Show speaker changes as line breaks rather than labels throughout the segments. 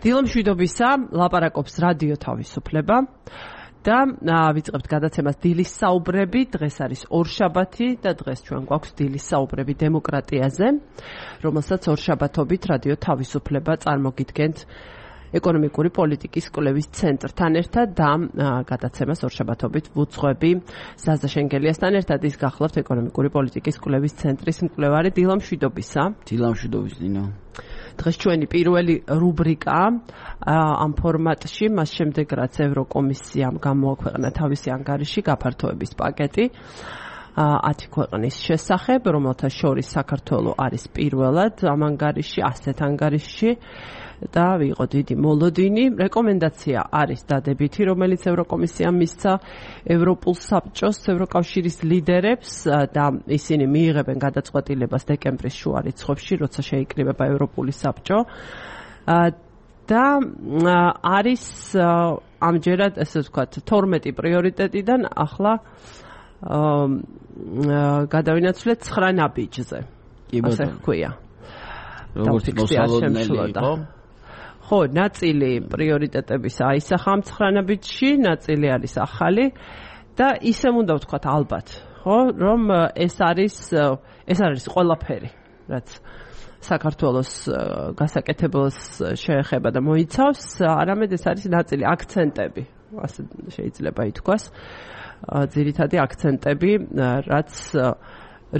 დილომშვიდობისა, ლაპარაკობს რადიო თავისუფლება და ვიწყებთ გადაცემას დილის საუბრები. დღეს არის ორშაბათი და დღეს ჩვენ გვაქვს დილის საუბრები დემოკრატიაზე, რომელსაც ორშაბათობით რადიო თავისუფლება წარმოგიდგენთ ეკონომიკური პოლიტიკის კვლევის ცენტრთან ერთად და გადაცემას ორშაბათობით ვუძღვები ზაზა შენგელიასთან ერთად. ის გახლავთ ეკონომიკური პოლიტიკის კვლევის ცენტრის მკვლევარი. დილამშვიდობისა.
დილამშვიდობის ნინო.
დღეს ჩვენი პირველი რუბრიკა ამ ფორმატში, მას შემდეგ რაც ევროკომისიამ გამოაქვეყნა თავისი ანგარიში გაფართოების პაკეტი 10 ქვეყნის შესახებ, რომელთა შორის საქართველო არის პირველად ამ ანგარიში, ასეთ ანგარიში და იყო დიდი მოლოდინი. რეკომენდაცია არის დადებითი, რომელიც ევროკომისიამ მისცა ევროპულ საბჭოს, ევროკავშირის ლიდერებს და ისინი მიიღებენ გადაწყვეტილებას დეკემბრის შუა რიცხვებში, როცა შეიკრიბება ევროპული საბჭო. და არის ამჯერად, ესე ვთქვათ, 12 პრიორიტეტიდან ახლა გადავინაცვლეთ 9 ნაბიჯზე. ასე ვქვია.
როგორც მოსალოდნელი იყო.
ხო, ნაწილი პრიორიტეტების აისახა ამ 9 ნაბიჯში, ნაწილი არის ახალი და ისე უნდა ვთქვათ ალბათ, ხო, რომ ეს არის ყველაფერი, რაც საქართველოს გასაკეთებელს შეეხება და მოიცავს, არამედ ეს არის ნაწილი აქცენტები, ასე შეიძლება ითქვას, ძირითადი აქცენტები,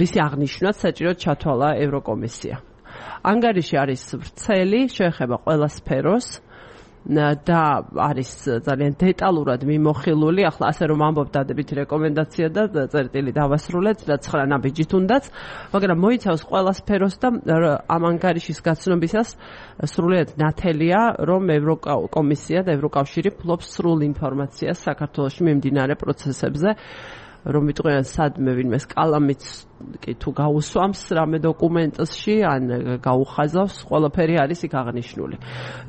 რისი აღნიშვნაც საჭიროდ ჩათვალა ევროკომისია. ანგარიში არის ვრცელი, შეეხება ყველა სფეროს და არის ძალიან დეტალურად მიმოხილული. ახლა ასე რომ ამბობ დადებითი რეკომენდაცია და წერტილი დავასრულეთ და 9 ნაბიჯით უნდაც, მაგრამ მოიცავს ყველა სფეროს და ამ ანგარიშის გაცნობისას სრულიად ნათელია, რომ ევროკომისია და ევროკავშირი ფლობს სრულ ინფორმაციას საქართველოში მიმდინარე პროცესებზე, რომ ვიტყვიან სადმე ვინმე კალამიც კი თუ გაუსვამს რამე დოკუმენტში ან გაუხაზავს, ყველაფერი არის იქ აღნიშნული.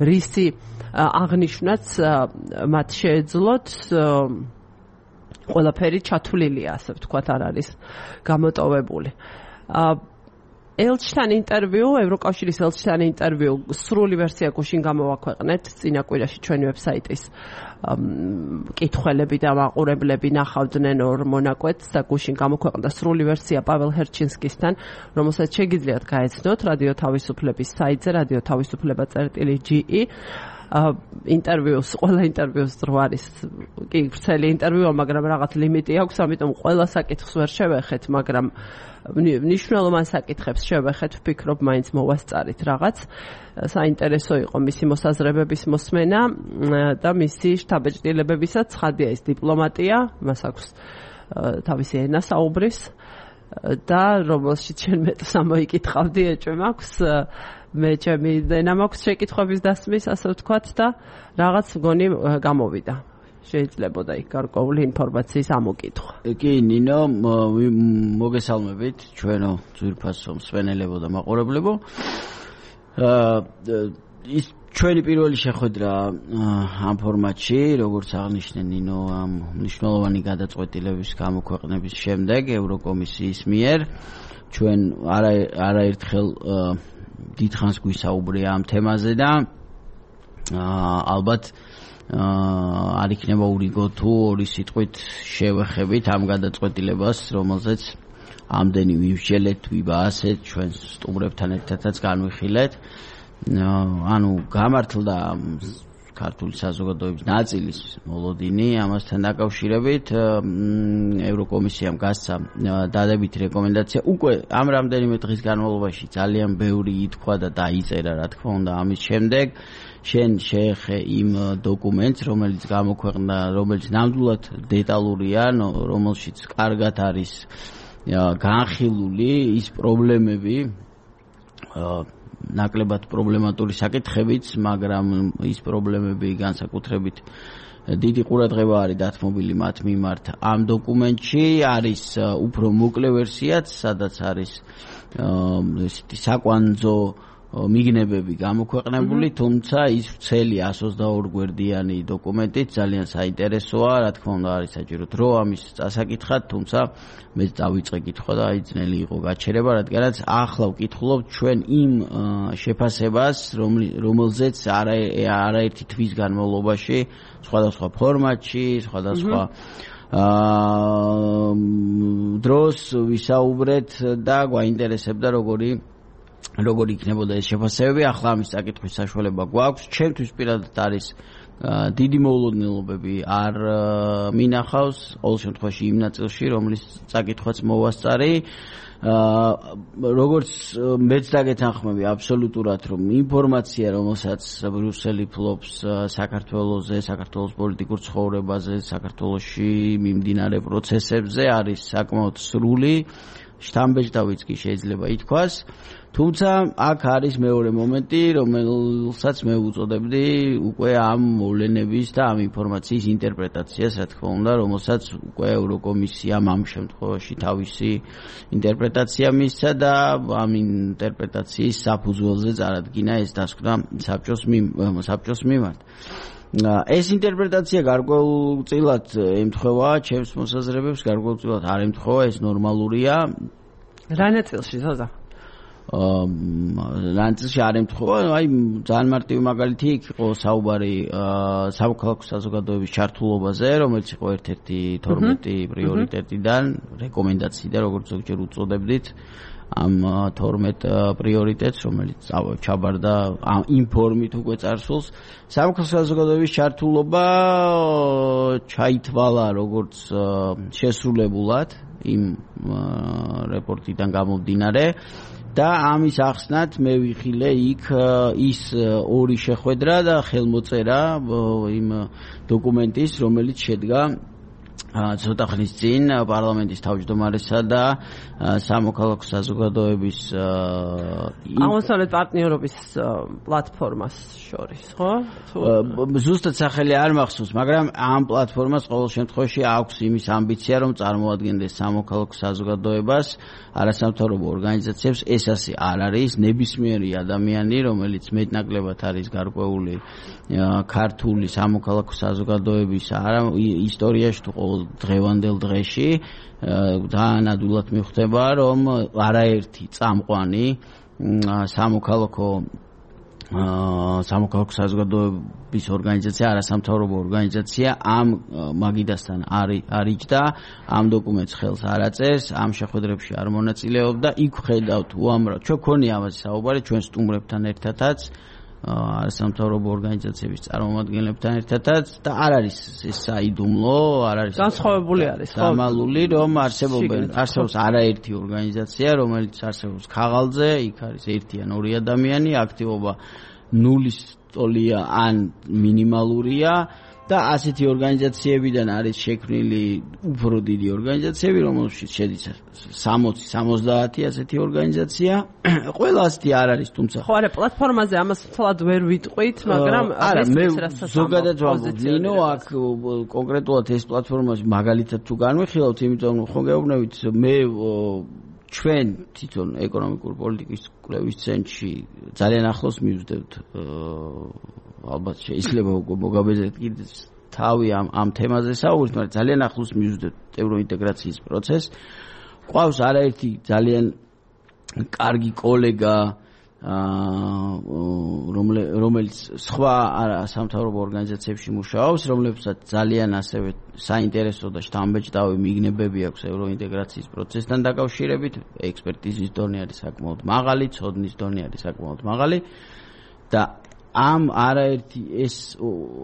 რისი აღნიშვნაც მათ შეეძლოთ, ყველაფერი ჩათვლილია, ასე ვთქვათ, არ არის გამოტოვებული. ელჩთან ინტერვიუ, ევროკავშირის ელჩთან ინტერვიუ, სრული ვერსია გუშინ გამოვაქვეყნეთ წინა კვირაში ჩვენი ვებსაიტის კითხველები და მაყურებლები ნახავდნენ ორ მონაკვეთს და გუშინ გამოქვეყნდა სრული ვერსია პაվել ჰერჩინსკისთან, რომელსაც შეგიძლიათ გაეცნოთ რადიო თავისუფლების საიტზე radio-თავისუფლება.ge. ინტერვიუს, ყველა ინტერვიუს დრო არის კი ვრცელი ინტერვიუა, მაგრამ რაღაც ლიმიტი აქვს, ამიტომ ყველა საკითხს ვერ შევეხეთ, მაგრამ მნიშვნელოვან საკითხებს შევეხეთ, ვფიქრობ, მაინც მოვასწარით რაღაც. საინტერესო იყო მისი მოსაზრებების მოსმენა და მისი შთაბეჭდილებებისაც ცხადია ის დიპლომატია, მას აქვს თავისი ენა საუბრის და რომელშიც შენ მეტს ამოიკითხავდი, ეჭვი მაქვს, მე ჩემი ენა მაქვს შეკითხვების დასმის, ასე ვთქვათ და რაღაც მგონი გამოვიდა. შეიძლებოდა იქ გარკვეული ინფორმაციის ამოკითხვა.
კი, ნინო, მოგესალმებით ჩვენო ძვირფასო მსმენელებო და მაყურებლებო. ის ჩვენი პირველი შეხვედრა ამ ფორმატში, როგორც აღნიშნე ნინო, ამ მნიშვნელოვანი გადაწყვეტილების გამოქვეყნების შემდეგ ევროკომისიის მიერ ჩვენ არაერთხელ დიდხანს გვისაუბრია ამ თემაზე და ალბათ არ იქნება ურიგო თუ ორი სიტყვით შევეხებით ამ გადაწყვეტილებას, რომელზეც ამდენი ვიმსჯელეთ, ვიბაასეთ, ჩვენ სტუმრებთან ერთადაც განვიხილეთ. ანუ გამართლდა ქართული საზოგადოების ნაწილის მოლოდინი ამასთან დაკავშირებით. ევროკომისიამ გასცა დადებითი რეკომენდაცია. უკვე ამ რამდენიმე დღის განმავლობაში ძალიან ბევრი ითქვა და დაიწერა, რა თქმა უნდა, ამის შემდეგ. შენ შეეხე იმ დოკუმენტს, რომელიც გამოქვეყნდა, რომელიც ნამდვილად დეტალურია, რომელშიც კარგად არის განხილული ის პრობლემები, ნაკლებად პრობლემატური საკითხებიც, მაგრამ ის პრობლემები განსაკუთრებით დიდი ყურადღება არის დათმობილი მათ მიმართ. ამ დოკუმენტში არის უფრო მოკლე ვერსიაც, სადაც არის ესეთი საკვანძო მიგნებები გამოქვეყნებული, თუმცა ის ვრცელი 122 გვერდიანი დოკუმენტით ძალიან საინტერესოა, რა თქმა უნდა არის საჭირო დრო ამის წასაკითხად, თუმცა მე დავიწყე კითხვა და აი ძნელი იყო გაჩერება, რადგანაც ახლა ვკითხულობთ ჩვენ იმ შეფასებას, რომელზეც არაერთი თვის განმავლობაში სხვადასხვა ფორმატში, სხვადასხვა დროს ვისაუბრეთ და გვაინტერესებდა როგორი იქნებოდა ეს შეფასებები. ახლა ამის წაკითხვის საშუალება გვაქვს. ჩემთვის პირადად არის დიდი მოულოდნელობები არ მინახავს ყოველ შემთხვევაში იმ ნაწილში, რომლის წაკითხვაც მოვასწარი. როგორც მეც დაგეთანხმები აბსოლუტურად, რომ ინფორმაცია, რომელსაც ბრიუსელი ფლობს საქართველოზე, საქართველოს პოლიტიკურ ცხოვრებაზე, საქართველოში მიმდინარე პროცესებზე, არის საკმაოდ სრული, შთამბეჭდავიც კი შეიძლება ითქვას. თუმცა აქ არის მეორე მომენტი, რომელსაც მე უწოდებდი უკვე ამ მოვლენების და ამ ინფორმაციის ინტერპრეტაციას, რა თქმა უნდა, რომელსაც უკვე ევროკომისიამ ამ შემთხვევაში თავისი ინტერპრეტაცია მისცა და ამ ინტერპრეტაციის საფუძველზე წარადგინა ეს დასკვნა საბჭოს მიმართ. ეს ინტერპრეტაცია გარკვეულწილად ემთხვევა ჩემს მოსაზრებებს, გარკვეულწილად არ ემთხვევა, ეს ნორმალურია.
რა ნაწილში ზოზა?
ნაწილში არ ემთხვევა, აი ძალიან მარტივი მაგალითი იქ იყო საუბარი სამოქალაქო საზოგადოების ჩართულობაზე, რომელიც იყო ერთ-ერთი 12 პრიორიტეტიდან, რეკომენდაციიდან, როგორც ზოგჯერ უწოდებდით. ამ 12 პრიორიტეტს, რომელიც ჩაბარდა ამ ინფორმით უკვე წარსულს, სამოქალაქო საზოგადოების ჩართულობა ჩაითვალა როგორც შესრულებულად იმ რეპორტიდან გამომდინარე და ამის ახსნად მე ვიხილე იქ ის ორი შეხვედრა და ხელმოწერა იმ დოკუმენტის, რომელიც შედგა ცოტა ხნის წინ პარლამენტის თავმჯდომარესა და სამოქალაქო საზოგადოების
აღმოსავლეთ პარტნიორობის პლატფორმას შორის, ხო?
ზუსტად სახელი არ მახსოვს, მაგრამ ამ პლატფორმას ყოველ შემთხვევაში აქვს იმის ამბიცია, რომ წარმოადგენდეს სამოქალაქო საზოგადოებას, არასამთავრობო ორგანიზაციებს. ეს ასე არ არის. ნებისმიერი ადამიანი, რომელიც მეტნაკლებად არის გარკვეული ქართული სამოქალაქო საზოგადოების ისტორიაში თუ ყოველ დღევანდელ დღეში დაანადულად მიხვდება, რომ არაერთი წამყვანი სამოქალაქო საზოგადოების ორგანიზაცია, არასამთავრობო ორგანიზაცია ამ მაგიდასთან არ იჯდა, ამ დოკუმენტს ხელს არ აწერს, ამ შეხვედრებში არ მონაწილეობდა. იქ ხედავთ უამრავ, ჩვენ გქონია ამაზე საუბარი ჩვენ სტუმრებთან ერთადაც, არასამთავრობო ორგანიზაციების წარმომადგენლებთან ერთადაც და არ არის ეს საიდუმლო, არ არის
განსხვავებული არის, ხო?
დამალული, რომ არსებობს არაერთი ორგანიზაცია, რომელიც არსებობს ქაღალდზე, იქ არის ერთი ან ორი ადამიანი, აქტივობა ნულის ტოლია ან მინიმალურია და ასეთი ორგანიზაციებიდან არის შექმნილი უფრო დიდი ორგანიზაციები, რომელშიც შედის 60-70 ასეთი ორგანიზაცია. ყველა ასეთი არ არის, თუმცა
ხო, არა, პლატფორმაზე ამას თლად ვერ ვიტყვით, მაგრამ
მე ზოგადად ვამბობ, ნინო, აქ კონკრეტულად ეს პლატფორმა მაგალითად თუ განვიხილავთ, იმიტომ რომ ხო გეუბნებით, მე ჩვენ თვითონ ეკონომიკური პოლიტიკის კვლევის ცენტრში ძალიან ახლოს მივსდევთ ალბათ შეიძლება მოგაბეზრდეთ კიდე თავი ამ თემაზე საუბრით, მაგრამ ძალიან ახლოს მივსდევთ ევროინტეგრაციის პროცესს. ყავს არაერთი ძალიან კარგი კოლეგა, რომელიც სხვა სამთავრობო ორგანიზაციებში მუშაობს, რომლებსაც ძალიან ასევე საინტერესო და შთამბეჭდავი მიგნებები აქვს ევროინტეგრაციის პროცესთან დაკავშირებით, ექსპერტიზის დონე არის საკმაოდ მაღალი, ცოდნის დონე არის საკმაოდ მაღალი და ამ არაერთი ეს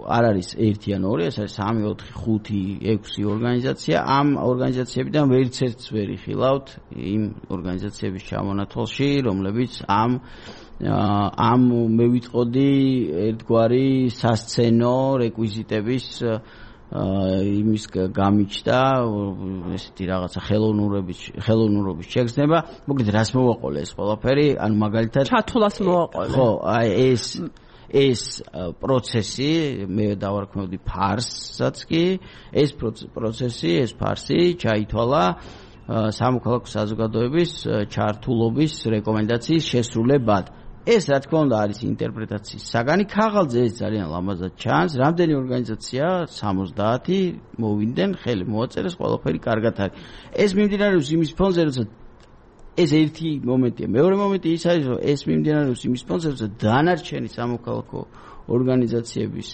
არ არის ერთი ან ორი, ეს არის 3, 4, 5, 6 ორგანიზაცია. ამ ორგანიზაციებიდან ვერც ერთს ვერ იხილავთ იმ ორგანიზაციების ჩამონათვალში, რომლებიც ამ მე ვიტყოდი ერთგვარი სასცენო რეკვიზიტების იმის გამიჩნდა, ესეთი რაღაცა ხელოვნურობის შეგრძნება. მოკლედ რას მოვაყოლე ეს ყველაფერი, ანუ მაგალითად
ჩათვლას მოვაყოლე.
ხო, აი ეს პროცესი, მე დავარქმევდი ფარსსაც კი, ეს პროცესი, ეს ფარსი ჩაითვალა სამოქალაქო საზოგადოების ჩართულობის რეკომენდაციის შესრულებად. ეს რა თქმა უნდა არის ინტერპრეტაციის საგანი. ქაღალდზე ეს ძალიან ლამაზად ჩანს. რამდენი ორგანიზაცია 70 მოვიდნენ, ხელი მოაწერეს, ყველაფერი კარგად არის. ეს მიმდინარეობს იმის ფონზე, როცა ეს ერთი მომენტია. მეორე მომენტი ის არის, რომ ეს მიმდინარეობს იმის ფონზე, როცა დანარჩენი სამოქალაქო ორგანიზაციების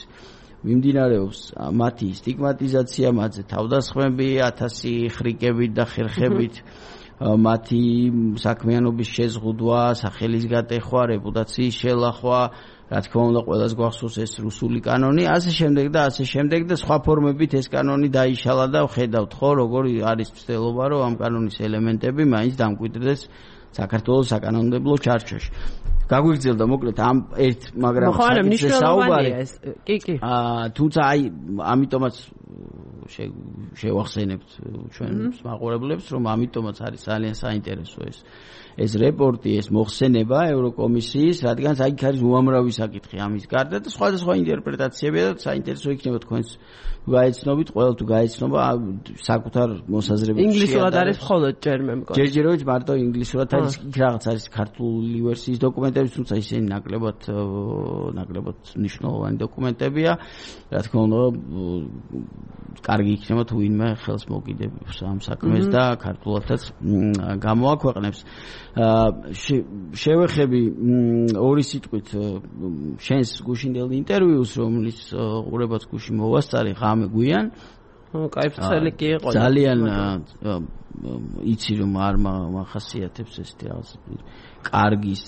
მიმდინარეობს მათი სტიგმატიზაცია, მათზე თავდასხმები, 1000 ხრიკებით და ხერხებით, მათი საქმიანობის შეზღუდვა, სახელის გატეხვა, რეპუტაციის შელახვა, რა თქმა უნდა, ყველას გვახსოვს ეს რუსული კანონი, ასე შემდეგ და სხვა ფორმებით ეს კანონი დაიშალა და ხედავთ ხო, როგორ არის ცდელობა, რომ ამ კანონის ელემენტები მაინც დამკვიდრდეს საქართველოს საკანონმდებლო ჩარჩოში. გაგვიგრძელდა მოკლედ ამ მაგრამ
საკითხზე საუბარი. კი.
თუმცა აი ამიტომაც შევახსენებთ ჩვენ მაყურებლებს, რომ ამიტომაც არის ძალიან საინტერესო ეს რეპორტი, ეს მოხსენება ევროკომისიის, რადგან იქ არის უამრავი საკითხი ამის გარდა და სხვადასხვა ინტერპრეტაციები და საინტერესო იქნება თქვენს გაეცნობით, ყველა თუ გაეცნობა საკუთარ მოსაზრებებში.
ინგლისურად არის მხოლოდ ჯერ მე მგონი.
ჯერჯერობით მარტო ინგლისურად არის, იქ რაღაც არის ქართული ვერსიის დოკუმენტები, თუმცა ისინი ნაკლებად მნიშვნელოვანი დოკუმენტებია. რა თქმა უნდა, კარგი იქნება თუ ვინმე ხელს მოკიდებს ამ საქმეს და ქართულადაც გამოაქვეყნებს. შევეხები ორი სიტყვით შენს გუშინდელ ინტერვიუს, რომლის ყურებაც გუში მოვასწარი ღამე გვიან.
კაიფცელი კი იყო.
ძალიან იცი რომ არ მახასიათებს ეს რაღაც კარგის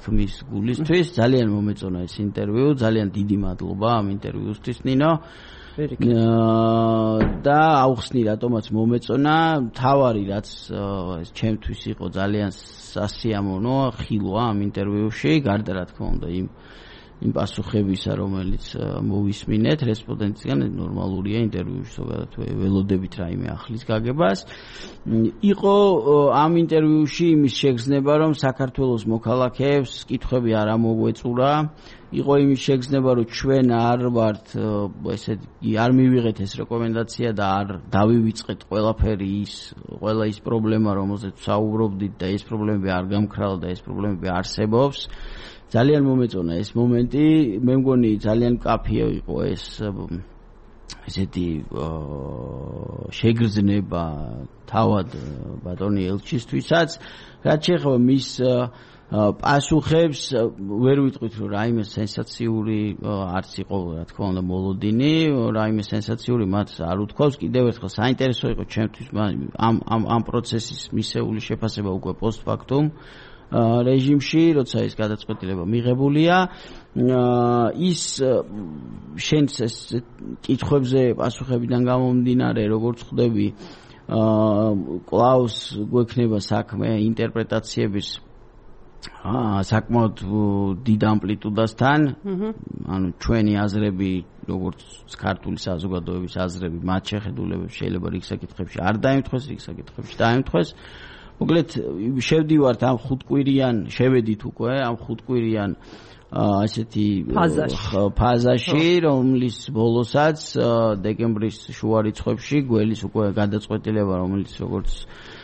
თქმის გულისთვის. ძალიან მომეწონა ეს ინტერვიუ, ძალიან დიდი მადლობა ამ ინტერვიუსთვის ნინო. და აუხსნი რატომაც მომეწონა, თავარი რაც ჩემთვის იყო ძალიან სასიამოვნო ხილვა ამ ინტერვიუში, გარდა რა თქმა უნდა იმ პასუხებისა, რომელიც მოვისმინეთ რესპონდენტისგან, ნორმალურია ინტერვიუში ზოგადად ველოდებით რაიმე ახლის გაგებას. იყო ამ ინტერვიუში იმის შეგრძნება, რომ საქართველოს მოქალაქეებს კითხვები არ ამოგვეწურა. იყო იმის შეგრძნება, რომ ჩვენ არ მივიღეთ ეს რეკომენდაცია და არ დავივიწყეთ ყველა ის პრობლემა, რომელზეც საუბრობდით და ეს პრობლემები არ გამქრალა და ეს პრობლემები არსებობს. ძალიან მომეწონა ეს მომენტი, მე მგონი ძალიან კაფეა იყო ესეთი შეგრძნება თავად ბატონი ელჩისთვისაც, რაც შეეხება მის პასუხებს, ვერ ვიტყვით რომ რაიმე სენსაციური არც იყო, რა თქმა უნდა, მოლოდინი, რაიმე სენსაციური მათ არ უთქვავს. კიდევ ერთხელ საინტერესო იყო ჩემთვის ამ პროცესის მისეული შეფასება უკვე პოსტფაქტუმ რეჟიმში, როცა ის გადაწყვეტილება მიღებულია. ის შენს ეს კითხვებზე პასუხებიდან გამომდინარე, როგორც ხვდები, კлауს გვექნება საქმე ინტერპრეტაციების საკმაოდ დიდ ამპლიტუდასთან, ანუ ჩვენი აზრები, როგორც ქართული საზოგადოების აზრები, მათ შეხედულებებს შეიძლება რიგ საკითხებში არ დაემთხვეს, რიგ საკითხებში დაემთხვეს. მოკლედ შევდივართ ამ შევედით უკვე ამ ხუთკვირიან ასეთი ფაზაში, რომლის ბოლოსაც დეკემბრის შუა რიცხვებში გველის უკვე გადაწყვეტილება, რომელიც როგორც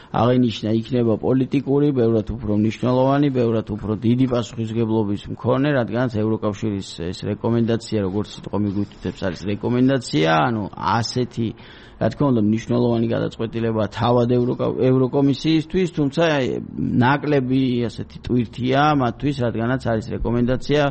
აღინიშნა იქნება პოლიტიკური, ბევრად უფრო მნიშვნელოვანი, ბევრად უფრო დიდი პასუხისმგებლობის მქონე, რადგანაც ევროკავშირის ეს რეკომენდაცია, როგორც სიტყვა მიგვითითებს, არის რეკომენდაცია, ანუ ასეთი რა თქმა უნდა მნიშვნელოვანი გადაწყვეტილება თავად ევროკომისიისთვის, თუმცა ნაკლები ასეთი ტვირთია მათთვის, რადგანაც არის რეკომენდაცია,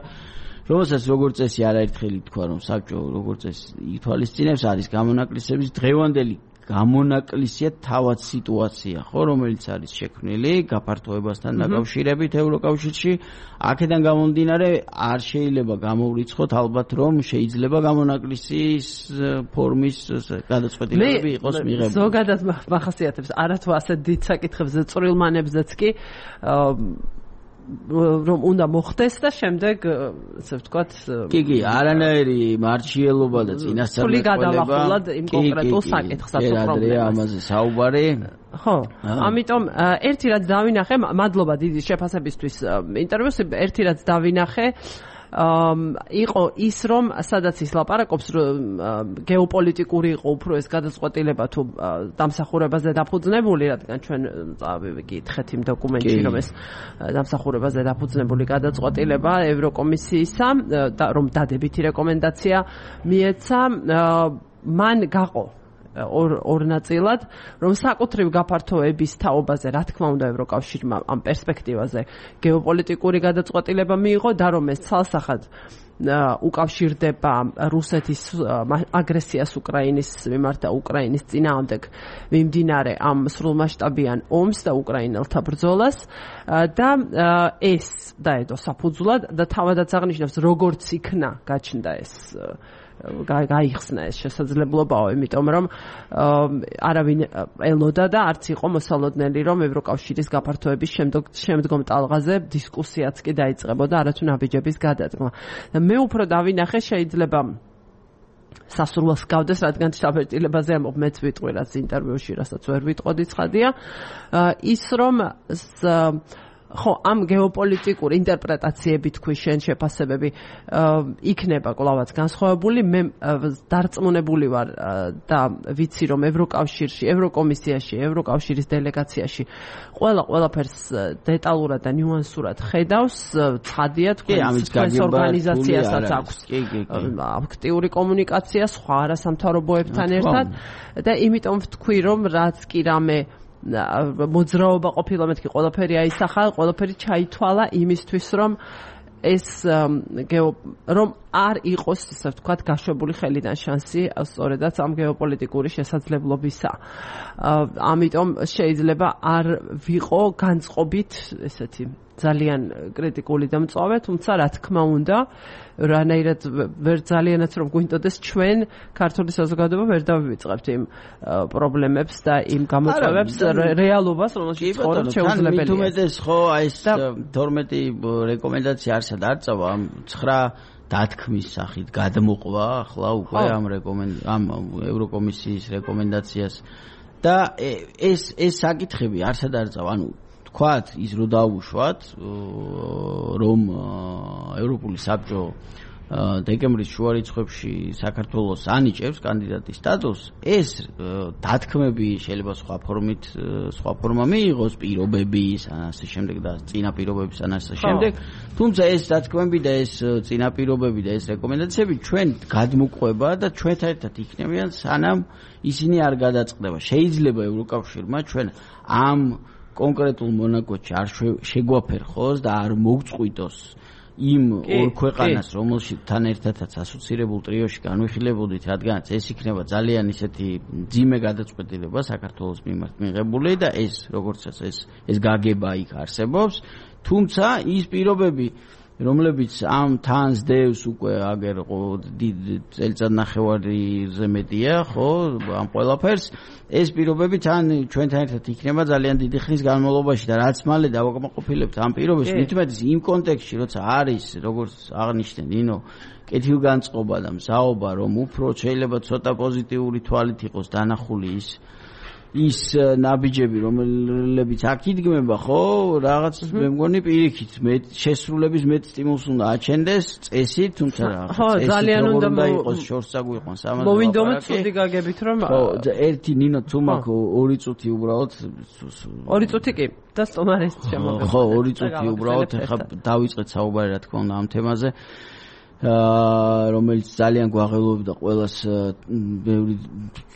რომელსაც როგორც წესი არაერთხელი თქვა, რომ საბჭო როგორც წესი ითვალისწინებს, არის გამონაკლისების დღევანდელი გამონაკლისია თავად სიტუაცია, ხო, რომელიც არის შექმნილი გაფართოებასთან დაკავშირებით ევროკავშირში. აქედან გამომდინარე, არ შეიძლება გამოვრიცხოთ ალბათ, რომ შეიძლება გამონაკლისის ფორმის გადაწყვეტილებები იყოს მიღებული.
ზოგადად მახასიათებს არათუ ასეთ დიდ საკითხებზე, წვრილმანებზეც კი რომ უნდა მოხდეს და შემდეგ ასე ვთქვათ
კი არანაირი მარჩიელობა და წინასწარმეტყველება
იმ კონკრეტულ საკითხსაც უპრობლემას
ამაზე საუბარი
ხო ამიტომ ერთი რაც დავინახე მადლობა დიდი შეფასებისთვის ინტერვიუს ერთი რაც დავინახე იყო ის რომ სადაც ის ლაპარაკობს გეოპოლიტიკური იყო უფრო ეს გადაწყვეტილება თუ დამსახურებაზე დაფუძნებული, რადგან ჩვენ გითხეთ იმ დოკუმენტში რომ ეს დამსახურებაზე დაფუძნებული გადაწყვეტილება ევროკომისიისა და რომ დადებითი რეკომენდაცია მიეცა, მან გაყო ორ ნაწილად, რომ საკუთრივ გაფართოების თაობაზე, რა თქმა უნდა, ევროკავშირმა ამ პერსპექტივაზე გეოპოლიტიკური გადაწყვეტილება მიიღო და რომ ეს ცალსახად უკავშირდება რუსეთის აგრესიას უკრაინის მიმართ და უკრაინის წინააღმდეგ მიმდინარე ამ სრულმასშტაბიან ომს და უკრაინელთა ბრძოლას და ეს დაედო საფუძვლად და თავადაც აღნიშნავს როგორც იქნა გაჩნდა ეს გაიხსნა ეს შესაძლებლობაო, იმიტომ რომ არავინ ელოდა და არც იყო მოსალოდნელი, რომ ევროკავშირის გაფართოების შემდგომ ტალღაზე დისკუსიაც კი დაიწყებოდა, არათუ ნაბიჯების გადადგმა. და მე უფრო დავინახე, შეიძლება სასურველს გავდეს, რადგან შთაბეჭდილებაზე ამბობ, მეც ვიტყვი რაც ინტერვიუში, რასაც ვერ ვიტყოდი ცხადია, ის რომ ხო, ამ გეოპოლიტიკური ინტერპრეტაციები თქვი შენ შეფასებები იქნება კვლავაც განსხვავებული. მე დარწმუნებული ვარ და ვიცი რომ ევროკავშირში, ევროკომისიაში, ევროკავშირის დელეგაციაში ყველაფერს დეტალურად და ნიუანსურად ხედავს. ცხადია თქვენს ორგანიზაციასაც აქვს აქტიური კომუნიკაცია სხვა არასამთავრობოებთან ერთად და იმიტომ ვთქვი რომ რაც კი რამე მოძრაობა ყოფილა, მეთქი ყველაფერი აისახა, ყველაფერი ჩაითვალა იმისთვის რომ ეს რომ არ იყოს, ისე ვთქვათ, გაშვებული ხელიდან შანსი სწორედაც ამ გეოპოლიტიკური შესაძლებლობისა. ამიტომ შეიძლება არ ვიყო განწყობით ესეთი ძალიან კრიტიკული და მწვავე, თუმცა რა თქმა უნდა, რანაირად ვერ ძალიანაც რომ გვინდოდეს ჩვენ ქართული საზოგადოება ვერ დავივიწყებთ იმ პრობლემებს და იმ გამოწვევებს რეალობას, რომელშიც ცხოვრობთ შეუძლებელია.
თუმეტეს ხო აი ეს 12 რეკომენდაცია არსად არ წავა ამ 9 დათქმის სახით გადმოყვა ახლა უკვე ამ ევროკომისიის რეკომენდაციას და ეს საკითხები არსად არ წავა, ანუ თქვათ ის რო დაუშვათ რომ ევროპული საბჭო დეკემბრის შუა რიცხვებში საქართველოს ანიჭებს კანდიდატის სტატუსს, ეს დათქმები შეიძლება სხვა ფორმა მიიღოს, პირობების ან ასე შემდეგ და წინა პირობების ან ასე შემდეგ, თუმცა ეს დათქმები და ეს წინა პირობები და ეს რეკომენდაციები ჩვენ გადმოყვება და ჩვენთან ერთად იქნებიან სანამ ისინი არ გადაწყდება. შეიძლება ევროკავშირმა ჩვენ ამ კონკრეტულ მონაკოჩი არ შეგვაფერხოს და არ მოგწყვიტოს იმ ორ ქვეყანას, რომელშთან ერთადაც ასოცირებულ ტრიოში განვიხილებოდით, რადგანაც ეს იქნება ძალიან ისეთი მძიმე გადაწყვეტილება საქართველოს მიმართ მიღებული და ეს როგორცაც ეს გაგება იქ არსებობს, თუმცა ის პირობები რომლებიც ამ თანს დევს უკვე აგერ წელიწადნახევარზე მეტია, ხო, ამ ყველაფერს ეს პირობები თან ჩვენთან ერთად იქნება ძალიან დიდი ხნის განმავლობაში და რაც მალე დავაკმაყოფილებთ ამ პირობებს, მithumetes იმ კონტექსტში, როცა არის, როგორც აღნიშნე ნინო, კეთილგანწყობა და მზაობა, რომ უფრო შეიძლება ცოტა პოზიტიური თვალით იყოს დანახული ის ნაბიჯები, რომლებიც აქ იდგმება, ხო, რაღაც მე მგონი პირიქით, შესრულების მეტ სტიმულს უნდა აჩენდეს წესით, თუმცა
ძალიან უნდა
იყოს შორს წაგვიყვანს ამაზე.
მოვინდომეთ ცუდი გაგებით, რომ
ხო, ერთი ნინო თუ მაქვს 2 წუთი უბრალოდ
2 წუთი კი და სტომარეს შემოგა.
ხო, 2 წუთი უბრალოდ ახლა დავიწყეთ საუბარი რა თქმა უნდა ამ თემაზე. რომელიც ძალიან გვაღელვებდა ყველას ბევრი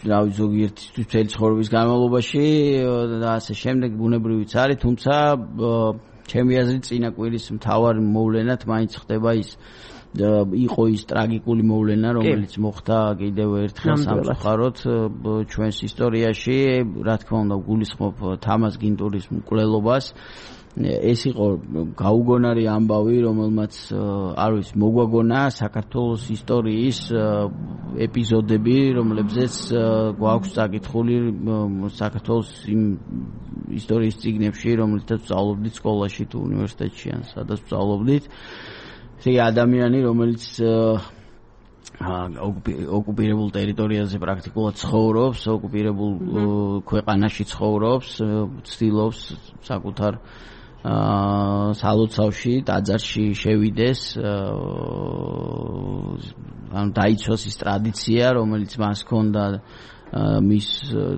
რავი ზოგიერთისთვის მთელი ცხოვრების განმავლობაში და ასე შემდეგ ბუნებრივიც არის, თუმცა ჩემი აზრით წინა კვირის მთავარი მოვლენად მაინც ხდება ის იყო ის ტრაგიკული მოვლენა, რომელიც მოხდა კიდევ ერთხელ სამწუხაროდ ჩვენს ისტორიაში, რა თქმა უნდა გულისხმობ თამაზ გინტურის მკვლელობას. ეს იყო გაუგონარი ამბავი, რომელმაც არ ვიცი მოგვაგონა საქართველოს ისტორიის ეპიზოდები, რომლებზეც გვაქვს წაკითხული საქართველოს იმ ისტორიის წიგნებში, რომელთაც ვსწავლობდით სკოლაში თუ უნივერსიტეტში ან სადაც ვსწავლობდით. ეს ადამიანი, რომელიც ოკუპირებულ ტერიტორიაზე პრაქტიკულად ცხოვრობს, ოკუპირებულ ქვეყანაში ცხოვრობს, ცდილობს საკუთარ სალოცავში, ტაძარში შევიდეს, ანუ დაიცვას ის ტრადიცია, რომელიც მას ჰქონდა მის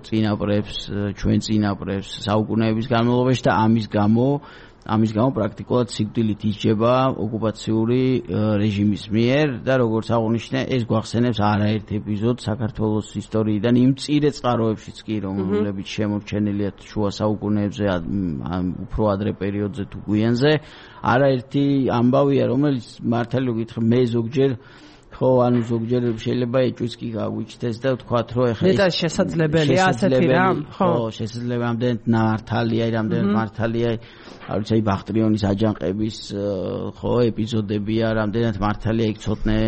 წინაპრებს, ჩვენ წინაპრებს საუკუნეების განმავლობაში და ამის გამო პრაქტიკულად სიკვდილით ისჯება ოკუპაციური რეჟიმის მიერ და როგორც აღნიშნე, ეს გვახსენებს არაერთ ეპიზოდს საქართველოს ისტორიიდან იმ მწირე წყაროებშიც კი, რომლებიც შემორჩენილია შუა საუკუნეებზე, უფრო ადრე პერიოდზე თუ გვიანზე, არაერთი ამბავია, რომელიც მართალი გითხრა მე ზოგჯერ ხო, ანუ ზოგჯერ შეიძლება ეჭვიც კი გაგვიჩნდეს და ვთქვათ, რომ ეხლა
ეს შესაძლებელია ასეთი რამ,
ხო, შესაძლებელი ამდენად მართალია, რამდენად მართალია, არ ვიცი, ბახტრიონის აჯანყების ხო, ეპიზოდებია, რამდენად მართალია იქ ცოტნე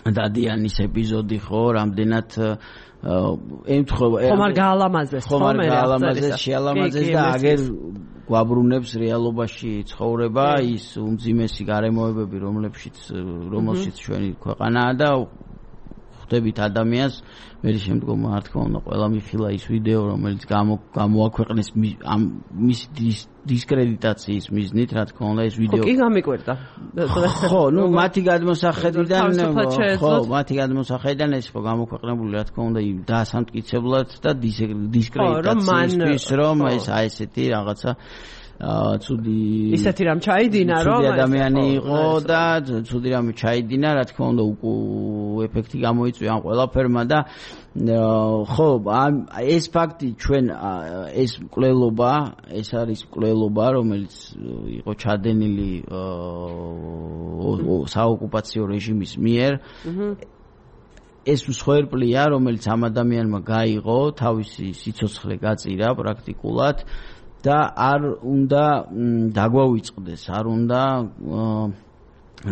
დადიანის ეპიზოდი, ხო, რამდენად ემთხვევა
ხომ არ გაალამაზეს,
ხომ არ გაალამაზეს, შეალამაზეს და აგერ გვაბრუნებს რეალობაში ცხოვრება, ის უმძიმესი გარემოებები, რომელშიც ჩვენი ქვეყანაა და ხვდებით ადამიანს, მე შემდგომ რა თქმა უნდა ყველა მიხილა ის ვიდეო, რომელიც გამოაქვეყნეს მის დისკრედიტაციის მიზნით, რა თქმა უნდა ეს ვიდეო.
ხო, კი გამიკვირდა.
ხო, ნუ მათი გადმოსახედიდან ეს ხო გამოქვეყნებული, რა თქმა უნდა, დაასამტკიცებლად და დისკრედიტაციისთვის, რომ ეს ესეთი რაღაცა ცუდი
ისეთი რამ ჩაიდინა, რომ
ადამიანი იყო და ცუდი რამ ჩაიდინა, რა თქმა უნდა, ეფექტი გამოიწვია ამ ყველაფერმა და ხო, ეს ფაქტი ჩვენ ეს მკვლელობა, ეს არის მკვლელობა, რომელიც იყო ჩადენილი საოკუპაციო რეჟიმის მიერ. ეს მსხვერპლია, რომელიც ამ ადამიანმა გაიღო, თავისი სიცოცხლე გაწირა პრაქტიკულად. და არ უნდა დაგვავიწყდეს, არ უნდა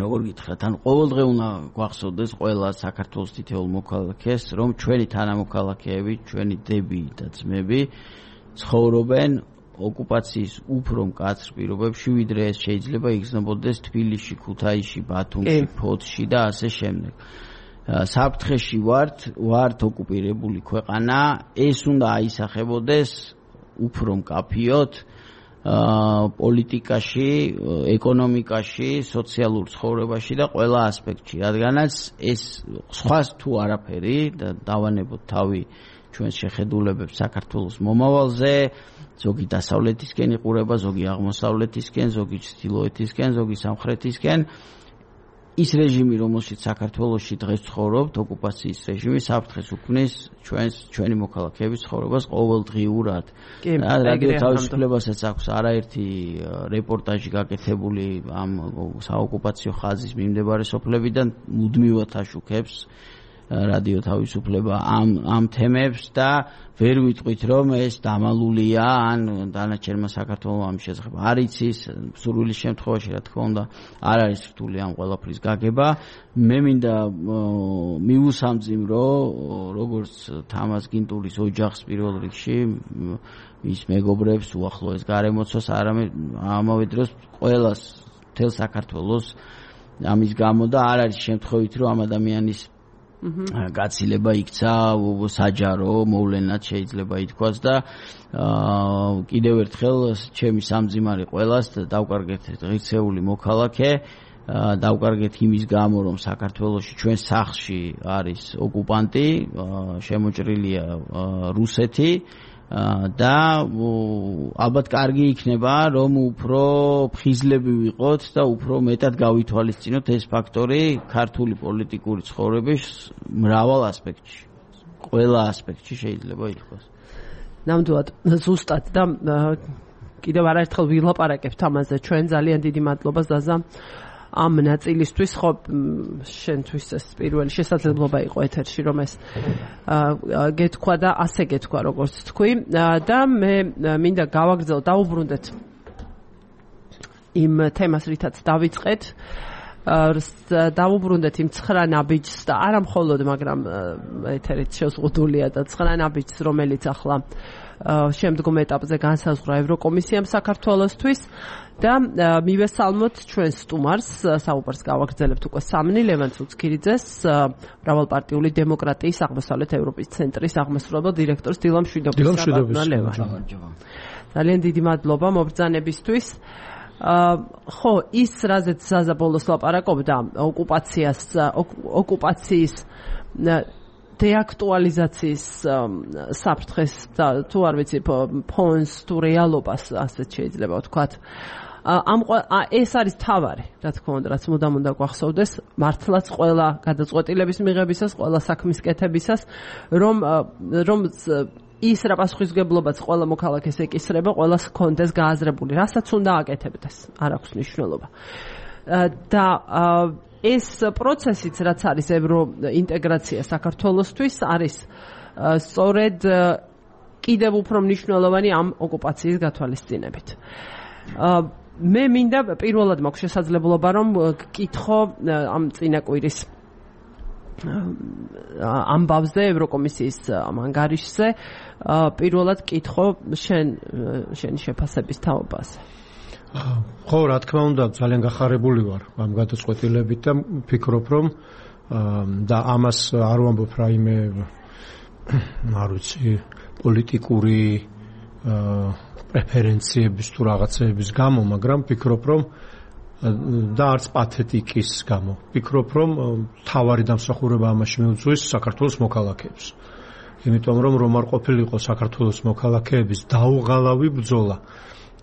როგორ გითხრათ, ან ყოველდღე უნდა გვახსოვდეს ყველა საქართველოს თითოეულ მოქალაქეს, რომ ჩვენი თანამოქალაქეები, ჩვენი დები და ძმები ცხოვრობენ ოკუპაციის უფრო მკაცრ პირობებში, ვიდრე ეს შეიძლება იგრძნობოდეს თბილისში, ქუთაისში, ბათუმში, ფოთში და ასე შემდეგ. საფრთხეში ვართ ოკუპირებული ქვეყანა, ეს უნდა აისახებოდეს უფრო მკაფიოდ პოლიტიკაში, ეკონომიკაში, სოციალურ ცხოვრებაში და ყველა ასპექტში, რადგანაც ეს სხვას თუ არაფერი და დავანებოთ თავი ჩვენს შეხედულებებს საქართველოს მომავალზე, ზოგი დასავლეთისკენ იყურება, ზოგი აღმოსავლეთისკენ, ზოგი ჩრდილოეთისკენ, ზოგი სამხრეთისკენ. ის რეჟიმი, რომელშიც საქართველოში დღეს ცხოვრობთ, ოკუპაციის რეჟიმი საფრთხეს უქმნის ჩვენი მოქალაქეების ცხოვრებას ყოველდღიურად. რადიო თავისუფლებასაც აქვს არაერთი რეპორტაჟი გაკეთებული ამ საოკუპაციო ხაზის მიმდებარე სოფლებიდან, მუდმივად აშუქებს რადიო თავისუფლება ამ თემებს და ვერ ვიტყვით, რომ ეს დამალულია, ან დანარჩენმა საქართველოს ამ შესახებ არ იცის, სურვილის შემთხვევაში, რა თქმა უნდა, არ არის რთული ამ ყველაფრის გაგება. მე მინდა მივუსამძიმრო, როგორც თამაზ გინტურის ოჯახს პირველ რიგში, მის მეგობრებს, უახლოეს გარემოცვას, არამედ ამავე დროს ყველას, მთელ საქართველოს ამის გამო და არ არის შემთხვევით, რომ ამ ადამიანის გაცილება იქცა საჯარო მოვლენად შეიძლება ითქვას და კიდევ ერთხელ ჩემი სამძიმარი ყველას დავკარგეთ ღირსეული მოქალაქე, დავკარგეთ იმის გამო, რომ საქართველოში ჩვენ სახლში არის ოკუპანტი, შემოჭრილია რუსეთი და ალბათ კარგი იქნება, რომ უფრო ფხიზლები ვიყოთ და უფრო მეტად გავითვალისწინოთ ეს ფაქტორი ქართული პოლიტიკური ცხოვრების მრავალ ასპექტში. ყველა ასპექტში შეიძლება ითქვას.
ნამდვილად ზუსტად და კიდევ არაერთხელ ვილაპარაკებთ ამაზე. ჩვენ ძალიან დიდი მადლობა ზაზა ამ ნაწილისთვის, ხო, შენთვის ეს პირველი შესაძლებლობა იყო ეთერში, რომ ეს გეთქვა და ასე გეთქვა, როგორც თქვი და მე მინდა დავუბრუნდეთ იმ თემას, რითაც დავიწყეთ, დავუბრუნდეთ იმ 9 ნაბიჯს და არა მხოლოდ, მაგრამ ეთერით შეზღუდულია და 9 ნაბიჯს, რომელიც ახლა შემდგომ ეტაპზე განსაზღვრა ევროკომისიამ საქართველოსთვის და მივესალმოთ ჩვენ სტუმარს, საუბარს გავაგრძელებთ უკვე სამნი, ლევან ცუცქირიძეს, მრავალპარტიული დემოკრატიის აღმოსავლეთ ევროპის ცენტრის აღმასრულებელ დირექტორს დილამ შვიდობისა. ძალიან დიდი მადლობა მობრძანებისთვის. ხო, ის რაზეც ზაზა ბოლოს ლაპარაკობდა, ოკუპაციის деактуализაციის საფრთხეს და თუ არ ვიცი ფონს თუ რეალობას ასეც შეიძლება ვთქვათ. ეს არის თავარი, რა თქმა უნდა, რაც მუდამ უნდა გვახსოვდეს, მართლაც ყველა გადაწყვეტილების მიღებისას, ყველა საქმის კეთებისას, რომ ის რა პასუხისმგებლობაც ყველა მოქალაქეს ეკისრება, ყველას ჰქონდეს გააზრებული, რასაც უნდა აკეთებდეს, არ აქვს მნიშვნელობა. და ეს პროცესიც, რაც არის ევროინტეგრაცია საქართველოსთვის, არის სწორედ კიდევ უფრო მნიშვნელოვანი ამ ოკუპაციის გათვალისწინებით. მე მინდა პირველად მაქვს შესაძლებლობა რომ გკითხო ამ წინა კვირის ამბავზე ევროკომისიის ანგარიშზე პირველად გკითხო შენი შეფასების თაობაზე.
ხო, რა თქმა უნდა, ძალიან გახარებული ვარ ამ გადაწყვეტილებით და ვფიქრობ რომ და ამას არ ვამბობ რაიმე არ ვიცი პოლიტიკური პრეფერენციების თუ რაღაცეების გამო, მაგრამ ვფიქრობ რომ და არც პათეტიკის გამო. ვფიქრობ რომ თავარი დამსახურება ამაში მიუძღვის საქართველოს მოქალაქეებს. იმიტომ რომ არ ყოფილიყო საქართველოს მოქალაქეების დაუღალავი ბრძოლა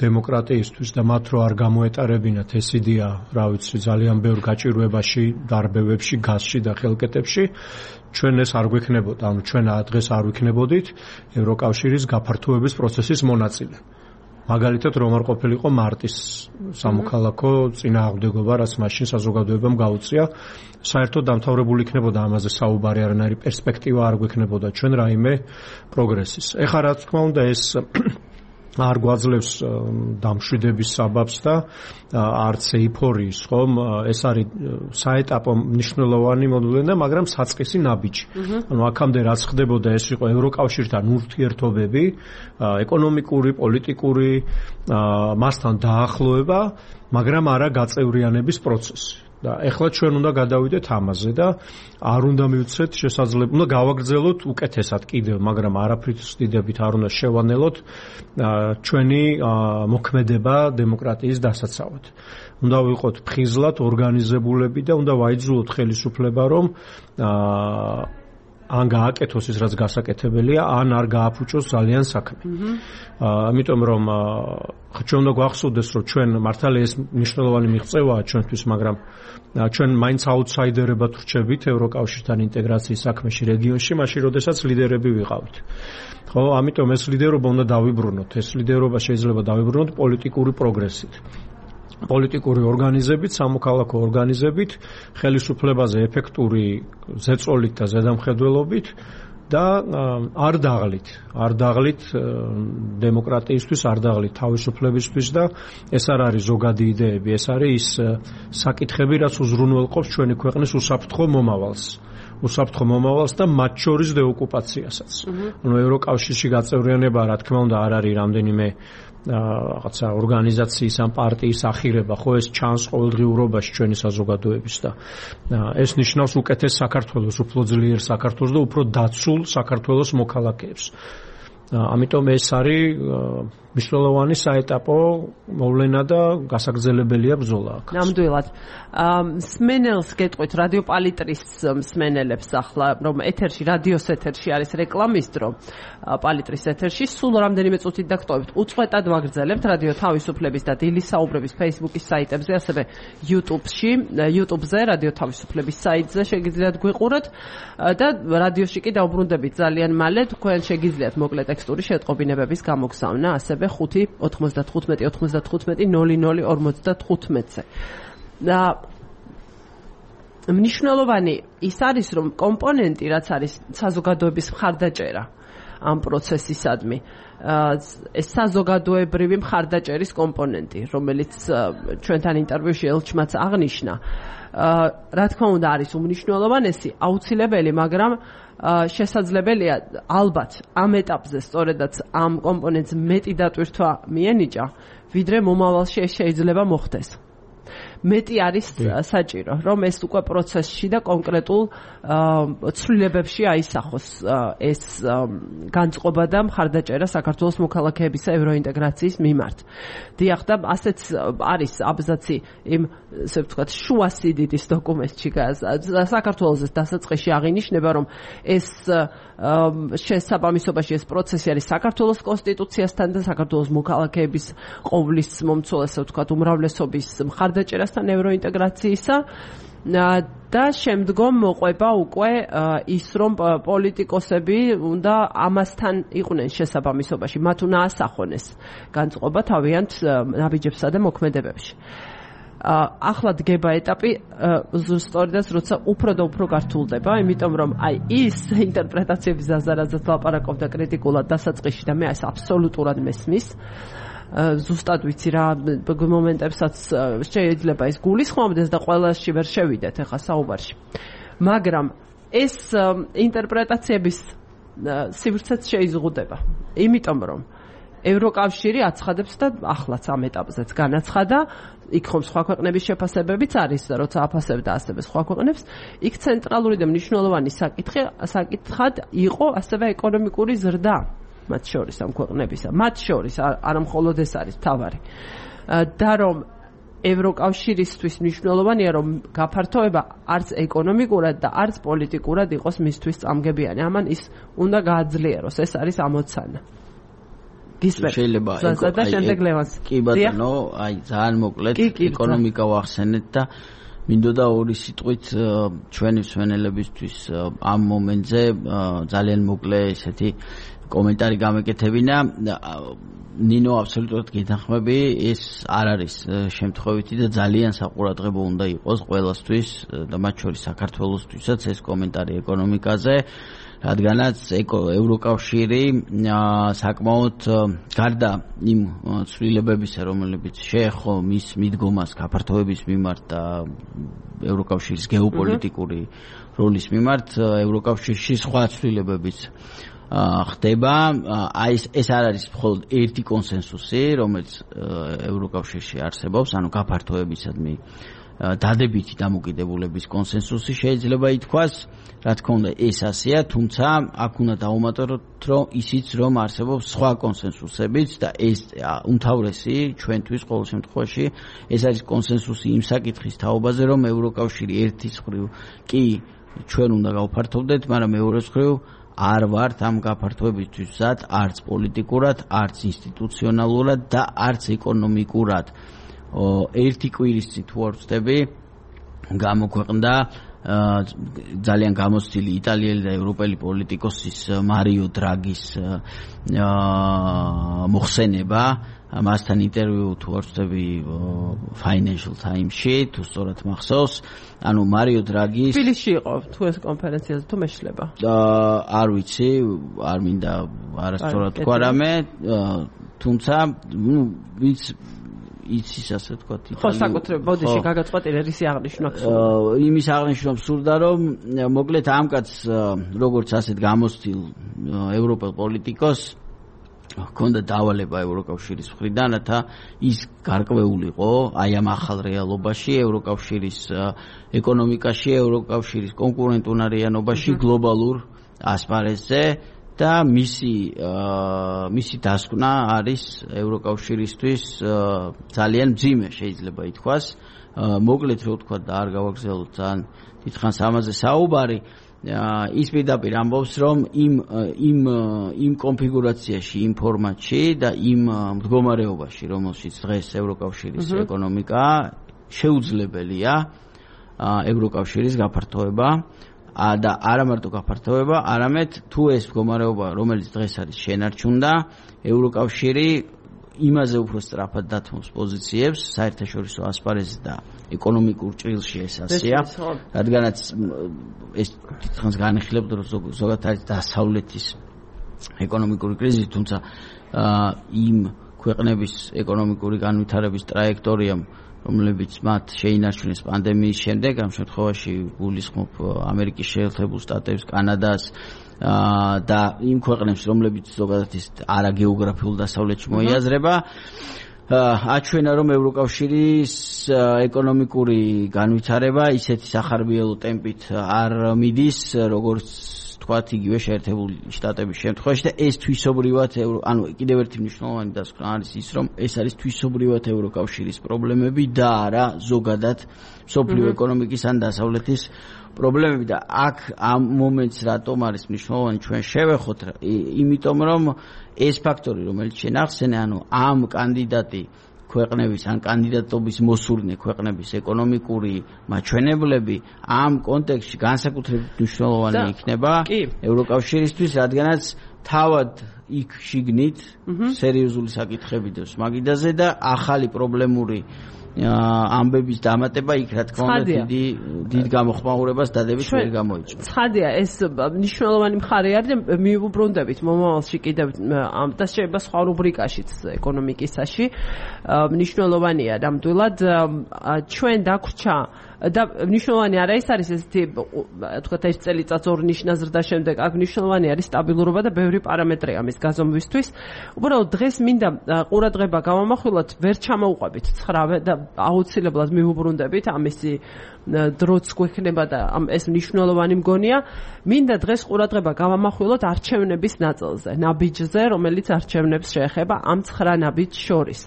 დემოკრატიისთვის და მათ რო არ გამოეტარებინათ ეს იდეა, რა ვიცი, ძალიან ბევრ გაჭირვებაში, დარბევებში, გაზში და ხელკეთებში, ჩვენ ეს არ გვექნებოდა, ანუ ჩვენ დღეს არ ვიქნებოდით ევროკავშირის გაფართოების პროცესის მონაწილე. მაგალითად, რომ არ ყოფილიყო მარტის სამოქალაქო წინააღმდეგობა, რაც მაშინ საზოგადოებამ გაუწია, საერთოდ დამთავრებული იქნებოდა ამაზე საუბარი, არანაირი პერსპექტივა არ გვექნებოდა ჩვენ რაიმე პროგრესის. ეხლა რა თქმა უნდა ეს არ გვაძლევს დამშვიდების საბაბს და არც ეიფორიის, ხომ? ეს არის საეტაპო მნიშვნელოვანი მოდულება, მაგრამ საწყისი ნაბიჯი. ანუ აქამდე რაც ხდებოდა, ეს იყო ევროკავშირთან ურთიერთობები, ეკონომიკური, პოლიტიკური, მასთან დაახლოება, მაგრამ არა გაწევრიანების პროცესი. და ეხლა ჩვენ უნდა გადავიდეთ ამაზე და არ უნდა მივცეთ შესაძლებლობა, უნდა გავაგრძელოთ უკეთესად კიდევ, მაგრამ არაფრით დიდებით არ უნდა შევანელოთ ჩვენი მოქმედება დემოკრატიის დასაცავად. უნდა ვიყოთ ფხიზლად ორგანიზებულები და უნდა ვაიძულოთ ხელისუფლება, რომ ან გააკეთოს ის რაც გასაკეთებელია, ან არ გააფუჭოს ძალიან საქმე. ამიტომ რომ ჩვენ უნდა გვახსოვდეს, რომ ჩვენ მართალია ეს მნიშვნელოვანი მიღწევაა ჩვენთვის, მაგრამ ჩვენ მაინც აუთსაიდერებად ვრჩებით ევროკავშირთან ინტეგრაციის საქმეში რეგიონში, მაშინ როდესაც ლიდერები ვიყავით. ხო, ამიტომ ეს ლიდერობა უნდა დავიბრუნოთ. ეს ლიდერობა შეიძლება დავიბრუნოთ პოლიტიკური პროგრესით. პოლიტიკური ორგანიზებით, სამოქალაქო ორგანიზებით, ხელისუფლებაზე ეფექტური ზეწოლით და ზედამხედველობით და არ დაღლით დემოკრატიისთვის, არ დაღლით თავისუფლებისთვის და ეს არ არის ზოგადი იდეები, ეს არის ის საკითხები, რაც უზრუნველყოფს ჩვენი ქვეყნის უსაფრთხო მომავალს და მათ შორის დეოკუპაციასაც. ანუ ევროკავშირში გაწევრიანება, რა თქმა უნდა, არ არის რამდენიმე რაღაცა ორგანიზაციის ან პარტიის ახირება, ხო, ეს ჩანს ყოველდღიურობაში ჩვენი საზოგადოების და ეს ნიშნავს უკეთეს საქართველოს, უფრო ძლიერ საქართველოს და უფრო დაცულ საქართველოს მოქალაქეებს. ამიტომ ეს არის მნიშვნელოვანი საეტაპო მოვლენა და გასაგრძელებელია ბრძოლა აქ.
ნამდვილად. სმენელს გეტყვით რადიო პალიტრის სმენელებს ახლა, რომ ეთერში, რადიოს ეთერში არის რეკლამის დრო, პალიტრის ეთერში სულ რამდენიმე წუთით დაგტოვებთ. უწყვეტად ვაგრძელებთ რადიო თავისუფლების და დილის საუბრების Facebook-ის საიტებზე, ასევე YouTube-ზე, რადიო თავისუფლების საიტზე შეგიძლიათ გვიყუროთ და რადიოში კი დაუბრუნდებით ძალიან მალე, თქვენ შეგიძლიათ მოკლე ტექსტური შეტყობინებების გამოგზავნა, ასევე 5-95-99-00-55-ზე. და მნიშვნელოვანი ის არის, რომ კომპონენტი, რაც არის საზოგადოების მხარდაჭერა ამ პროცესისადმი, ეს საზოგადოებრივი მხარდაჭერის კომპონენტი, რომელიც ჩვენთან ინტერვიუში ელჩმაც აღნიშნა, რა თქმა უნდა არის უმნიშვნელოვანესი, აუცილებელი, მაგრამ შესაძლებელია ალბათ ამ ეტაპზე სწორედაც ამ კომპონენტს მეტი დატვირთვა მიენიჭა, ვიდრე მომავალში ეს შეიძლება მოხდეს. მეტი არის საჭირო, რომ ეს უკვე პროცესში და კონკრეტულ ცვლილებებში აისახოს ეს განწყობა და მხარდაჭერა საქართველოს მოქალაქეებისა ევროინტეგრაციის მიმართ. დიახ, და ასეც არის აბზაცი იმ, ასე ვთქვათ, შუა სიდიდის დოკუმენტში საქართველოს დასაწყისში აღინიშნება, რომ ეს შესაბამისობაში ეს პროცესი არის საქართველოს კონსტიტუციასთან და საქართველოს მოქალაქეების ყოვლის მომცველ, ასე ვთქვათ, უმრავლესობის მხარდაჭერასთან ევროინტეგრაციისა და შემდგომ მოყვება უკვე ის, რომ პოლიტიკოსები უნდა ამასთან იყვნენ შესაბამისობაში, მათ უნდა ასახონ ეს განწყობა თავიანთ ნაბიჯებსა და მოქმედებებში. ახლა დგება ეტაპი სწორედაც როცა უფრო და უფრო გართულდება, იმიტომ რომ აი ის ინტერპრეტაციების ზაზარაზად ლაპარაკობდა კრიტიკულად დასაწყისში და მე ეს აბსოლუტურად მესმის. ზუსტად ვიცი რა მომენტებსაც შეიძლება ეს გულისხმობდეს და ყველაში ვერ შევიდეთ ახლა საუბარში. მაგრამ ეს ინტერპრეტაციების სივრცეც შეიზღუდება, იმიტომ რომ ევროკავშირი აცხადებს და ახლაც ამ ეტაპზეც განაცხადა, იქ ხომ სხვა ქვეყნების შეფასებებიც არის და როცა აფასებდა ასევე სხვა ქვეყნებს, იქ ცენტრალური და მნიშვნელოვანი საკითხად იყო ასევე ეკონომიკური ზრდა მათ შორის ამ ქვეყნებისა. მათ შორის არა მხოლოდ ეს არის თავარი. და რომ ევროკავშირისთვის მნიშვნელოვანია, რომ გაფართოება არც ეკონომიკურად და არც პოლიტიკურად იყოს მისთვის წამგებიანი. ამან ის უნდა გააძლიეროს, ეს არის ამოცანა.
შეიძლება
და შემდეგ ლევანს.
კი ბატონო, აი ძალიან მოკლედ ეკონომიკა ვახსენეთ და მინდოდა ორი სიტყვით ჩვენი მსმენელებისთვის ამ მომენტზე ძალიან მოკლე ესეთი კომენტარი გამეკეთებინა. ნინო აბსოლუტურად გეთანხმები, ეს არ არის შემთხვევითი და ძალიან საყურადღებო უნდა იყოს ყველასთვის და მათ შორის საქართველოსთვისაც ეს კომენტარი ეკონომიკაზე, რადგანაც ევროკავშირი საკმაოდ გარდა იმ ცვლილებებისა, რომლებიც შეეხო მის მიდგომას გაფართოების მიმართ და ევროკავშირის გეოპოლიტიკური როლის მიმართ, ევროკავშირში სხვა ცვლილებებიც ხდება. აი ეს არ არის მხოლოდ ერთი კონსენსუსი, რომელიც ევროკავშირში არსებობს, ანუ გაფართოებისადმი დადებითი დამოკიდებულების კონსენსუსი შეიძლება ითქვას, რა თქმა უნდა ეს ასეა, თუმცა აქ უნდა დავუმატოთ, რომ ისიც რომ არსებობს სხვა კონსენსუსებიც და ეს უმთავრესი ჩვენთვის ყოველ შემთხვევაში ეს არის კონსენსუსი იმ საკითხის თაობაზე, რომ ევროკავშირი ერთის მხრივ კი ჩვენ უნდა გავფართოვდეთ, მაგრამ მეორეს მხრივ არ ვართ ამ გაფართოებისთვის მზად არც პოლიტიკურად, არც ინსტიტუციონალურად და არც ეკონომიკურად. ერთი კვირის წინ თუ არ ვწდები, გამოქვეყნდა ძალიან გამოცდილი იტალიელი და ევროპელი პოლიტიკოსის მარიო დრაგის მოხსენება, მასთან ინტერვიუ თუ არ ვწდები Financial Times-ში, თუ სწორად მახსოვს, ანუ მარიო დრაგის
თბილისში იყო თუ ეს კონფერენციაზე თუ მეშლება.
არ ვიცი, არ მინდა არასწორად თქვა რამე, თუმცა ვინც იცის ასე ვთქვათ
ხო საკუთრებად ბოდიში გაგაწყვეტილე რისი აღნიშვნა
გსურდა იმის აღნიშვნა გსურდა რომ მოკლედ ამ კაცს როგორც ასეთ გამოცდილ ევროპელ პოლიტიკოს ჰქონდა დავალება ევროკავშირის მხრიდან რათა ის გარკვეულიყო აი ამ ახალ რეალობაში ევროკავშირის ეკონომიკაში ევროკავშირის კონკურენტუნარიანობაში გლობალურ ასპარეზზე და მისი დასკვნა არის ევროკავშირისთვის ძალიან მძიმე შეიძლება ითქვას. მოკლედ რო ვთქვა და არ გავაგრძელოთ ძალიან დიდხანს ამაზე საუბარი, ის პირდაპირ ამბობს, რომ იმ კონფიგურაციაში, იმ ფორმატში და იმ მდგომარეობაში, რომელშიც დღეს ევროკავშირის ეკონომიკა შეუძლებელია ევროკავშირის გაფართოება და არა მარტო გაფართოება, არამედ თუ ეს მდგომარეობა, რომელიც დღეს არის შენარჩუნდა, ევროკავშირი იმაზე უფრო სწრაფად დათმობს პოზიციებს საერთაშორისო ასპარეზზე და ეკონომიკურ ჭრილში ეს ასეა, რადგანაც ეს თითქმის განიხილებდა, რომ ზოგადად არის დასავლეთის ეკონომიკური კრიზისი, თუმცა იმ ქვეყნების ეკონომიკური განვითარების ტრაექტორიამ რომლებიც მათ შეინარჩუნეს პანდემიის შემდეგ, ამ შემთხვევაში გულისხმობ ამერიკის შეერთებულ შტატებს, კანადას და იმ ქვეყნებს, რომლებიც ზოგადად ის არაგეოგრაფიულ დასავლეთში მოიაზრება, აჩვენა რომ ევროკავშირის ეკონომიკური განვითარება ისეთი სახარბიელო ტემპით არ მიდის, როგორც თქვათ იგივე შეერთებული შტატების შემთხვევაში და ეს თვისობრივად ანუ კიდევ ერთი მნიშვნელოვანი დასკვნა არის ის რომ ეს არის თვისობრივად ევროკავშირის პრობლემები და არა ზოგადად მსოფლიო ეკონომიკის ან დასავლეთის პრობლემები და აქ ამ მომენტს რატომ არის მნიშვნელოვანი ჩვენ შევეხოთ იმიტომ რომ ეს ფაქტორი რომელიც შენ ახსენე ანუ ამ კანდიდატი ქვეყნების ან კანდიდატობის მოსურნე ქვეყნების ეკონომიკური მაჩვენებლები ამ კონტექსტში განსაკუთრებით მნიშვნელოვანი იქნება ევროკავშირისთვის, რადგანაც თავად იქ შიგნით სერიოზული საკითხები დევს მაგიდაზე და ახალი პრობლემური ამბების დამატება იქ რა თქმა უნდა დიდ გამოხმაურებას დადებით ვერ გამოიწვია.
ცხადია ეს მნიშვნელოვანი მხარე არის და მივუბრუნდებით მომავალში კიდევ ამ და შეიძლება სხვა რუბრიკაშიც ეკონომიკისაში მნიშვნელოვანია ნამდვილად ჩვენ დაგვრჩა და მნიშვნელოვანი არა ის არის ესეთი თქვათ ეს წელიწად ორ ნიშნა ზრდა შემდეგ აქ მნიშვნელოვანი არის სტაბილურობა და ბევრი პარამეტრი ამის გაზომვისთვის. უბრალოდ დღეს მინდა ყურადღება გავამახვილოთ ვერ ჩამოუყვებით 9 და აუცილებლად მივუბრუნდებით ამისი დროც გვექნება და ეს მნიშვნელოვანი მგონია. მინდა დღეს ყურადღება გავამახვილოთ არჩევნების ნაწილზე, ნაბიჯზე, რომელიც არჩევნებს შეეხება ამ 9 ნაბიჯს შორის.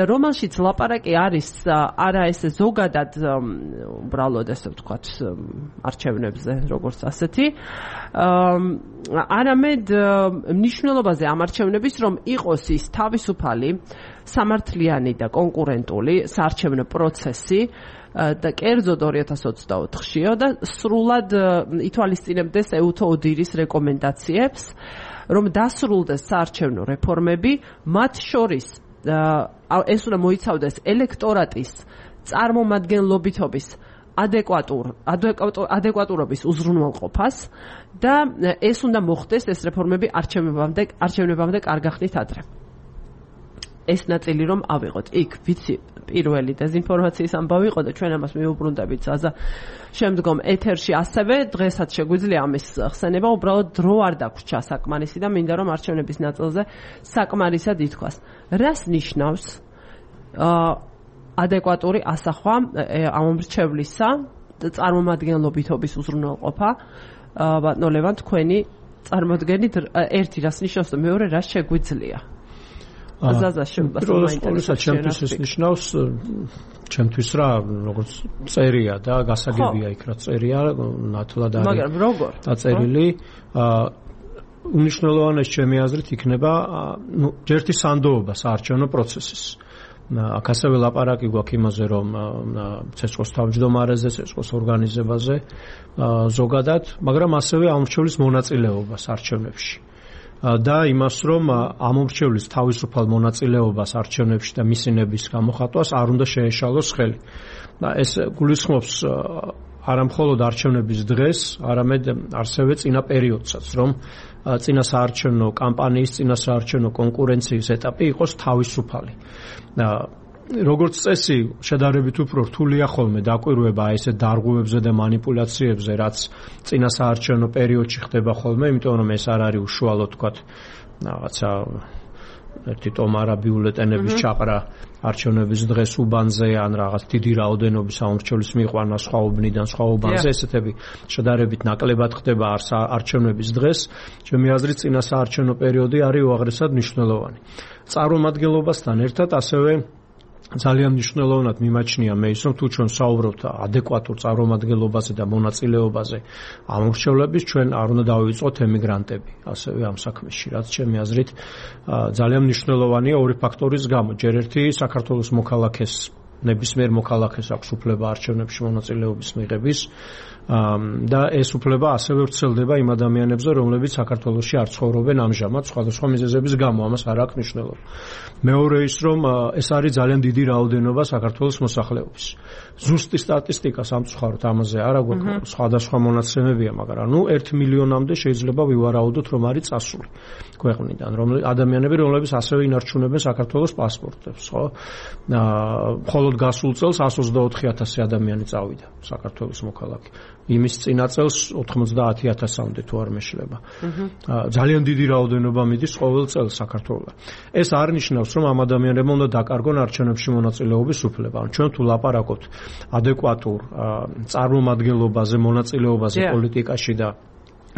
და რომელშიც ლაპარაკი არის არა ესე ზოგადად უბრალოდ ესე ვთქვათ არჩევნებზე როგორც ასეთი არამედ მნიშვნელობაზე ამ არჩევნების რომ იყოს ის თავისუფალი სამართლიანი და კონკურენტული საარჩევნო პროცესი და კერძოდ 2024-შიო და სრულად ითვალისწინებდეს ეუთო ოდირის რეკომენდაციებს რომ დასრულდეს საარჩევნო რეფორმები მათ შორის ეს უნდა მოიცავდეს ელექტორატის წარმომადგენლობითობის ადეკვატურობის უზრუნველყოფას და ეს უნდა მოხდეს ეს რეფორმები არჩევნებამდე კარგახნით ადრე. ეს ნაწილი რომ ავიღოთ. იქ ვიცი პირველი დეზინფორმაციის ამბავი იყო და ჩვენ ამას მივუბრუნდებით შემდგომ ეთერში ასევე დღესაც შეგვიძლია ამის ხსენება უბრალოდ დრო არ დაგვრჩა საკმარისი და მინდა რომ არჩევნების ნაწილზე საკმარისად ითქვას. რას ნიშნავს ადეკვატური ასახვა ამომრჩევლისა და წარმომადგენლობითობის უზრუნველყოფა ბატონო ლევან თქვენი წარმოდგენით ერთი რას ნიშნავს და მეორე რას შეგვიძლია
ჩემთვის ეს ნიშნავს ჩემთვის რა როგორც წერია და გასაგებია იქ რა წერია ნათლად არის
მაგრამ როგორ
დაწერილი უნიშნელოვანეს ჩემი აზრით იქნება ჯერთი სანდოობა საარჩევნო პროცესის აქ ასევე ლაპარაკი გვაქვს იმაზე რომ ცეცხლოს თავმჯდომარეზე ცეცხლოს ორგანიზებაზე ზოგადად მაგრამ ასევე ამომრჩევლის მონაწილეობას არჩევნებში და იმას რომ ამომრჩევლის თავისუფალ მონაწილეობას არჩევნებში და მისინების გამოხატვას არ უნდა შეეშალოს ხელი. და ეს გულისხმობს არა მხოლოდ არჩევნების დღეს, არამედ ასევე წინა პერიოდსაც, რომ წინა საარჩევნო კამპანიის, წინა საარჩევნო კონკურენციის ეტაპი იყოს თავისუფალი. როგორც წესი, შედარებით უფრო რთულია ხოლმე დაკვირვება ესეთ დარღვევებზე და მანიპულაციებზე, რაც წინა საარჩევნო პერიოდში ხდება ხოლმე, იმიტომ რომ ეს არ არის უშუალოდ თქვათ რაღაცა ერთი ტომარა ბიულეტენების ჩაყრა არჩევნების დღეს უბანზე ან რაღაც დიდი რაოდენობის ამომრჩევლის მიყვანა სხვა უბნიდან სხვა უბანზე ესეთები შედარებით ნაკლებად ხდება არჩევნების დღეს. ჩემი აზრით წინა საარჩევნო პერიოდი არის უაღრესად მნიშვნელოვანი. წარმომადგენლობასთან ერთად ასევე ძალიან მნიშვნელოვნად მიმაჩნია მე ის რომ თუ ჩვენ საუბრობთ ადეკვატურ წარმომადგენლობაზე და მონაწილეობაზე ამომრჩევლების ჩვენ არ უნდა დავივიწყოთ ემიგრანტები ასევე ამ საქმეში რაც ჩემი აზრით ძალიან მნიშვნელოვანია ორი ფაქტორის გამო ჯერ ერთი საქართველოს მოქალაქეს ნებისმიერ მოქალაქეს აქვს უფლება არჩევნებში მონაწილეობის მიღების და ეს უფლება ასევე ვრცელდება იმ ადამიანებზე რომლებიც საქართველოში არ ცხოვრობენ ამჟამად სხვადასხვა მიზეზების გამო ამას არ აქვს მნიშვნელობა. მეორე ის რომ ეს არის ძალიან დიდი რაოდენობა საქართველოს მოსახლეობის. ზუსტი სტატისტიკა სამწუხაროდ ამაზე არა გვაქვს სხვადასხვა მონაცემებია მაგრამ 1 მილიონამდე შეიძლება ვივარაუდოთ რომ არის წასული ქვეყნიდან ადამიანები რომლებიც ასევე ინარჩუნებენ საქართველოს პასპორტებს ხო? ხოლო მხოლოდ გასულ წელს 124,000 ადამიანი წავიდა საქართველოს მოქალაქე. იმის წინა წელს 90,000-მდე თუ არ მეშლება. ძალიან დიდი რაოდენობა მიდის ყოველ წელს საქართველოს. ეს არ ნიშნავს, რომ ამ ადამიანებმა უნდა დაკარგონ არჩევნებში მონაწილეობის უფლება. ჩვენ თუ ლაპარაკობთ ადეკვატურ წარმომადგენლობაზე, მონაწილეობაზე პოლიტიკაში და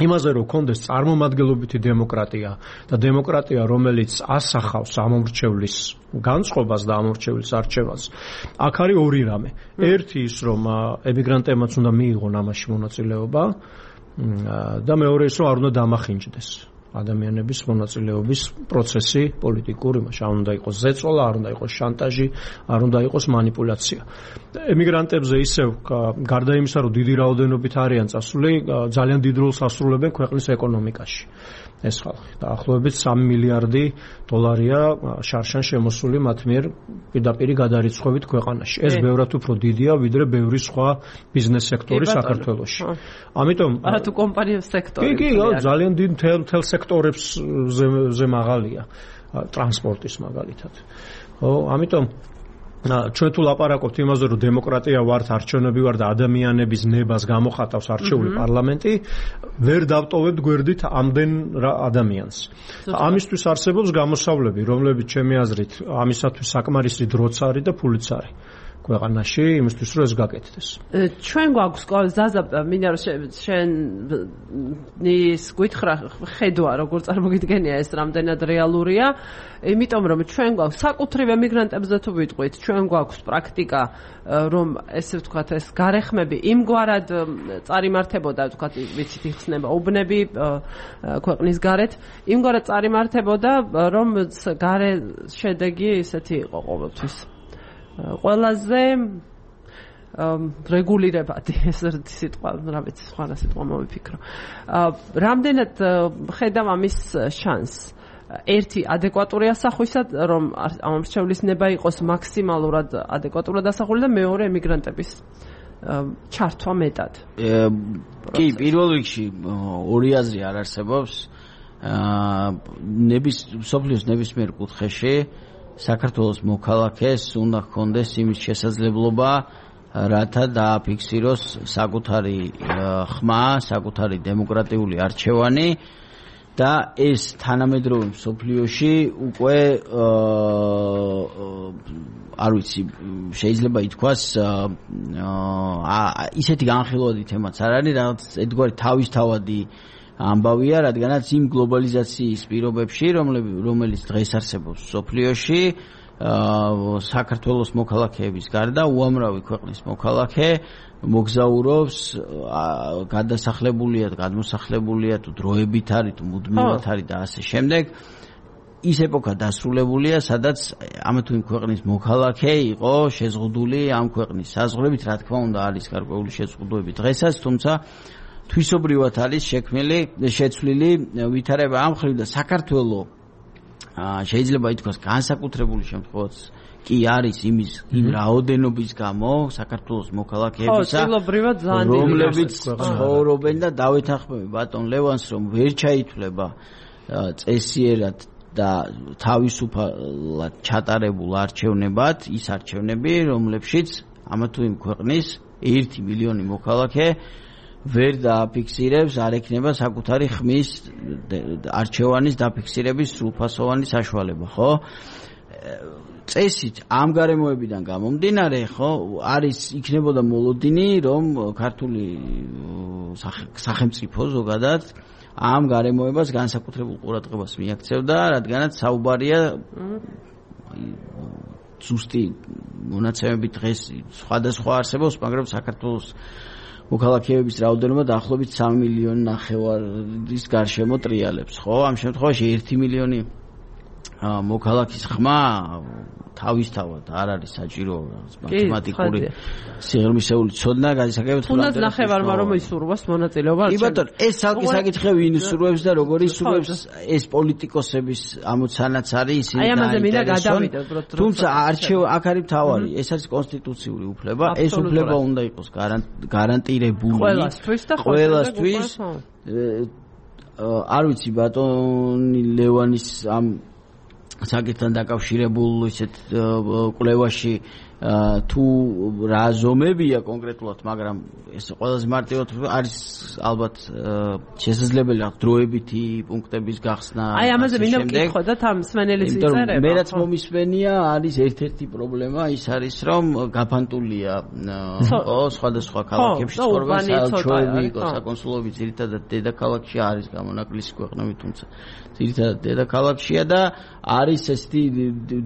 იმაზე რომ კონდეს წარმომადგენლობითი დემოკრატია და დემოკრატია რომელიც ასახავს ამომრჩევლის განწყობას და ამომრჩევლის არჩევანს აქ არის ორი რამე ერთი ის რომ ემიგრანტებმაც უნდა მიიღონ ამაში მონაწილეობა და მეორე ის რომ არ უნდა დამახინჯდეს ადამიანების მონაწილეობის პროცესი პოლიტიკური იმაში არ უნდა იყოს ზეწოლა არ უნდა იყოს შანტაჟი არ უნდა იყოს მანიპულაცია ემიგრანტებზე ისევ გარდა იმისა რომ დიდი რაოდენობით არიან წასული ძალიან დიდ როლს ასრულებენ ქვეყნის ეკონომიკაში ეს ხალხი დაახლოებით 3 მილიარდი დოლარია შარშან შემოსული მათ მიერ პირდაპირი გადარიცხვებით ქვეყანაში ეს ბევრად უფრო დიდია ვიდრე ბევრი სხვა ბიზნეს სექტორი საქართველოში ამიტომ
არა თუ კომპანიების სექტორი
კი ძალიან დიდ მთელ სექტორებზე მაღალია ტრანსპორტის მაგალითად ხო ამიტომ ჩვენ თუ ლაპარაკობთ იმაზე რომ დემოკრატია ვართ არჩევნები ვარ და ადამიანების ნებას გამოხატავს არჩეული პარლამენტი ვერ დავტოვებთ გვერდით ამდენ ადამიანს ამისთვის არსებობს გამოსავლები რომლებიც ჩემი აზრით ამისათვის საკმარისი დროც არის და ფულიც არის ქვეყანაში იმისთვის რომ ეს გაკეთდეს.
ჩვენ გვაქვს ზაზა მინდა რომ შენის გითხრა ხედვა როგორ წარმოგიდგენია ეს რამდენად რეალურია იმიტომ რომ ჩვენ გვაქვს საკუთრივ ემიგრანტებზე თუ ვიტყვით ჩვენ გვაქვს პრაქტიკა რომ ესე ვთქვათ ეს გარეხმები იმგვარად წარიმართებოდა ვთქვათ ვიცით იხსნება უბნები ქვეყნის გარეთ იმგვარად წარიმართებოდა რომ გარე შედეგი ისეთი იყო ყოველთვის ყველაზე რეგულირებადი ეს სიტყვა რა ვიცი სხვა სიტყვა მოვიფიქრო რამდენად ხედავ ამის შანსს ერთი ადეკვატური ასახვისა რომ ამომრჩევლის ნება იყოს მაქსიმალურად ადეკვატურად ასახული და მეორე ემიგრანტების ჩართვა მეტად
კი პირველ რიგში ორი აზრი არ არსებობს სოფლიოს ნებისმიერ კუთხეში საქართველოს მოქალაქეს უნდა ჰქონდეს იმის შესაძლებლობა რათა დააფიქსიროს საკუთარი ხმა, საკუთარი დემოკრატიული არჩევანი და ეს თანამედროვე მსოფლიოში უკვე არ ვიცი შეიძლება ითქვას ისეთი განხილვადი თემაც არ არის რაღაც ერთგვარი თავისთავადი ამბავია, რადგანაც იმ გლობალიზაციის პირობებში, რომელიც დღეს არსებობს სოფლიოში, საქართველოს მოქალაქეების გარდა უამრავი ქვეყნის მოქალაქე მოგზაურობს, გადმოსახლებულია თუ დროებით არის, თუ მუდმივად არის და ასე შემდეგ. ის ეპოქა დასრულებულია, სადაც ამა თუ იმ ქვეყნის მოქალაქე იყო შეზღუდული ამ ქვეყნის საზღვრებით, რა თქმა უნდა, არის გარკვეული შეზღუდვები დღესაც, თუმცა თვისობრივად არის შეცვლილი ვითარება ამ მხრივ და საქართველოს შეიძლება ითქვას განსაკუთრებული შემთხვევაც კი არის იმ რაოდენობის გამო საქართველოს მოქალაქეებისა რომლებიც ცხოვრობენ და დავეთანხმები ბატონ ლევანს რომ ვერ ჩაითვლება წესიერად და თავისუფლად ჩატარებულ არჩევნებად ის არჩევნები რომლებშიც ამა თუ იმ ქვეყნის 1 მილიონი მოქალაქე ვერ დააფიქსირებს, არ ექნება საკუთარი ხმის არჩევანის დაფიქსირების სრულფასოვანი საშუალება, ხო? წესით ამ გარემოებიდან გამომდინარე, ხო, იქნებოდა მოლოდინი, რომ ქართული სახელმწიფო ზოგადად ამ გარემოებას განსაკუთრებულ ყურადღებას მიაქცევდა, რადგანაც საუბარია ზუსტი მონაცემები დღეს სხვადასხვა არსებობს, მაგრამ საქართველოს მოქალაქეების რაოდენობა დაახლოებით 3,5 მილიონის გარშემო ტრიალებს, ხო? ამ შემთხვევაში 1 მილიონი მოქალაქის ხმა თავისთავად არ არის საჭირო მათემატიკური სიღრმისეული ცოდნა გადასაგებად
თუნდაც ნახევარმა რომ ისურვოს მონაწილეობა
კი ბატონო ეს ცალკე საკითხი ვინ ისურვებს და როგორ ისურვებს ეს პოლიტიკოსების ამოცანაც არის ისინი თუმცა აქ არის მთავარი ეს არის კონსტიტუციური უფლება ეს უფლება უნდა იყოს გარანტირებული ყველასთვის არ ვიცი ბატონი ლევანის ამ საკითხთან დაკავშირებულ ისეთ კვლევაში თუ რა ზომებია კონკრეტულად, მაგრამ ეს ყველაზე მარტივად არის ალბათ შესაძლებელი დროებითი პუნქტების გახსნა.
აი ამაზე მინდა ვკითხო და თან მსმენელის იწერება.
მე რაც მომისმენია არის ერთ-ერთი პრობლემა ის არის რომ გაფანტულია სხვადასხვა ქალაქებში ცხოვრება საელჩოები, საკონსულოები ძირითადად დედაქალაქში არის გამონაკლისი ქვეყნები, თუმცა ძირითადად დედაქალაქშია და არის ესეთი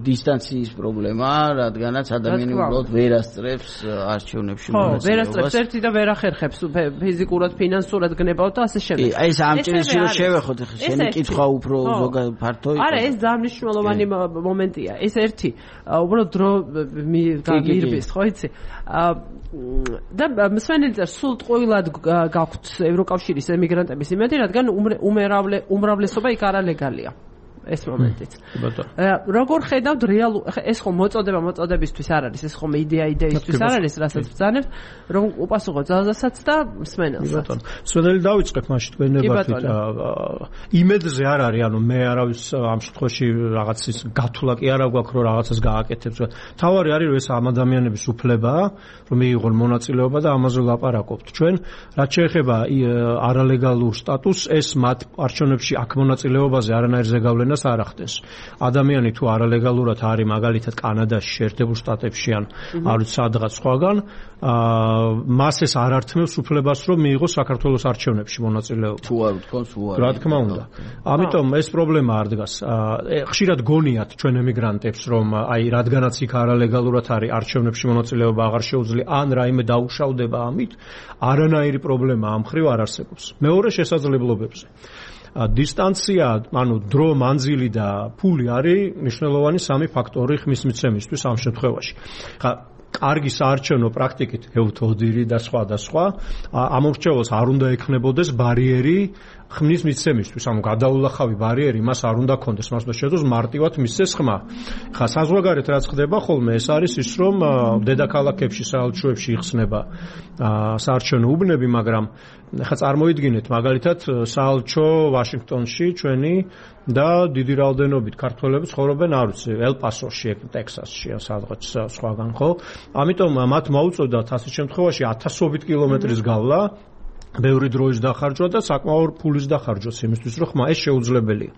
დისტანციის პრობლემა, რადგანაც ადამიანი უბრალოდ ვერ ასწრებს არჩევნებში მონაწილეობას. ვერ
ასწრებს ერთი და ვერ ახერხებს ფიზიკურად, ფინანსურად გნებავთ და ასე შემდეგ.
აი ეს ამ ჭრილში რომ შევეხოთ, შენი კითხვა უფრო ზოგადად ფართო იყო.
არა, ეს ძალიან მნიშვნელოვანი მომენტია. ეს ერთი უბრალოდ დრო მირბის, ხო იცი? და მსმენელთა სულ ტყუილად გაქვთ ევროკავშირის ემიგრანტების იმედი, რადგან უმრავლესობა იქ არალეგალია. ეს მომენტიც. როგორ ხედავთ რეალურ ეს ხომ მოწოდებისთვის არ არის, ეს ხომ იდეისთვის არ არის, რასაც ბრძანებთ, რომ უპასუხო ძალზესაც და მსმენელსაც.
ბატონო, მსმენელი დავიწყებ მაშინ თქვენებართით. იმედზე არ არის, ანუ მე არავის ამ შემთხვევაში რაღაც ის გათვლა კი არა გვაქვს, რომ რაღაცას გააკეთებს. თავარი არის, რომ ეს ამ ადამიანების უფლებაა, რომ მიიღონ მონაწილეობა და ამაზე ვლაპარაკობთ. ჩვენ რაც შეეხება არალეგალურ სტატუსს, ეს მათ არჩევნებში აქ მონაწილეობაზე არანაირ ზეგავლენას არ ახდენს. ადამიანი თუ არალეგალურად არის მაგალითად კანადაში, შეერთებულ შტატებში ან არ ვიცი სადღაც სხვაგან, მას ეს არ ართმევს უფლებას, რომ მიიღოს საქართველოს არჩევნებში მონაწილეობა.
თუ არ ვთქვამს, უარი.
რა თქმა უნდა. ამიტომ ეს პრობლემა არ დგას. ხშირად გონიათ ჩვენ ემიგრანტებს, რომ აი რადგანაც იქ არალეგალურად არის არჩევნებში მონაწილეობა აღარ შეუძლია, ან რაიმე დაუშავდება ამით, არანაირი პრობლემა ამ ხრივ არ არსებობს. მეორე შესაძლებლობებზე. დისტანცია, ანუ დრო, მანძილი და ფული არის მნიშვნელოვანი სამი ფაქტორი ხმის მიცემისთვის ამ შემთხვევაში. ხა კარგი საარჩევნო პრაქტიკით ევთოდირი და სხვა და სხვა ამორჩეულს არ უნდა ექნებოდეს ბარიერი ხმის მიცემისთვის, ანუ გადაულახავი ბარიერი მას არ უნდა კონდეს, მას უნდა შეძლოს მარტივად მისცეს ხმა. ხა საზღვარგარეთ რაც ხდება ხოლმე, ეს არის ის, რომ დედაქალაქებში, საელჩოებში იხსნება საარჩევნო უბნები, მაგრამ ხა წარმოიდგინეთ, მაგალითად, საელჩო ვაშინგტონში ჩვენი და დიდი რაოდენობით ქართველები ცხოვრობენ, არ ვიცი, ელ-პასოში, ტექსასში, სადღაც სხვაგან, ხო? ამიტომ მათ მოუწოდათ ასეთ შემთხვევაში 1000-ობით კილომეტრის გავლა, ბევრი დროის დახარჯვა და საკმაოდ ფულის დახარჯვაც იმისთვის, რომ ხმა ეს შეუძლებელია.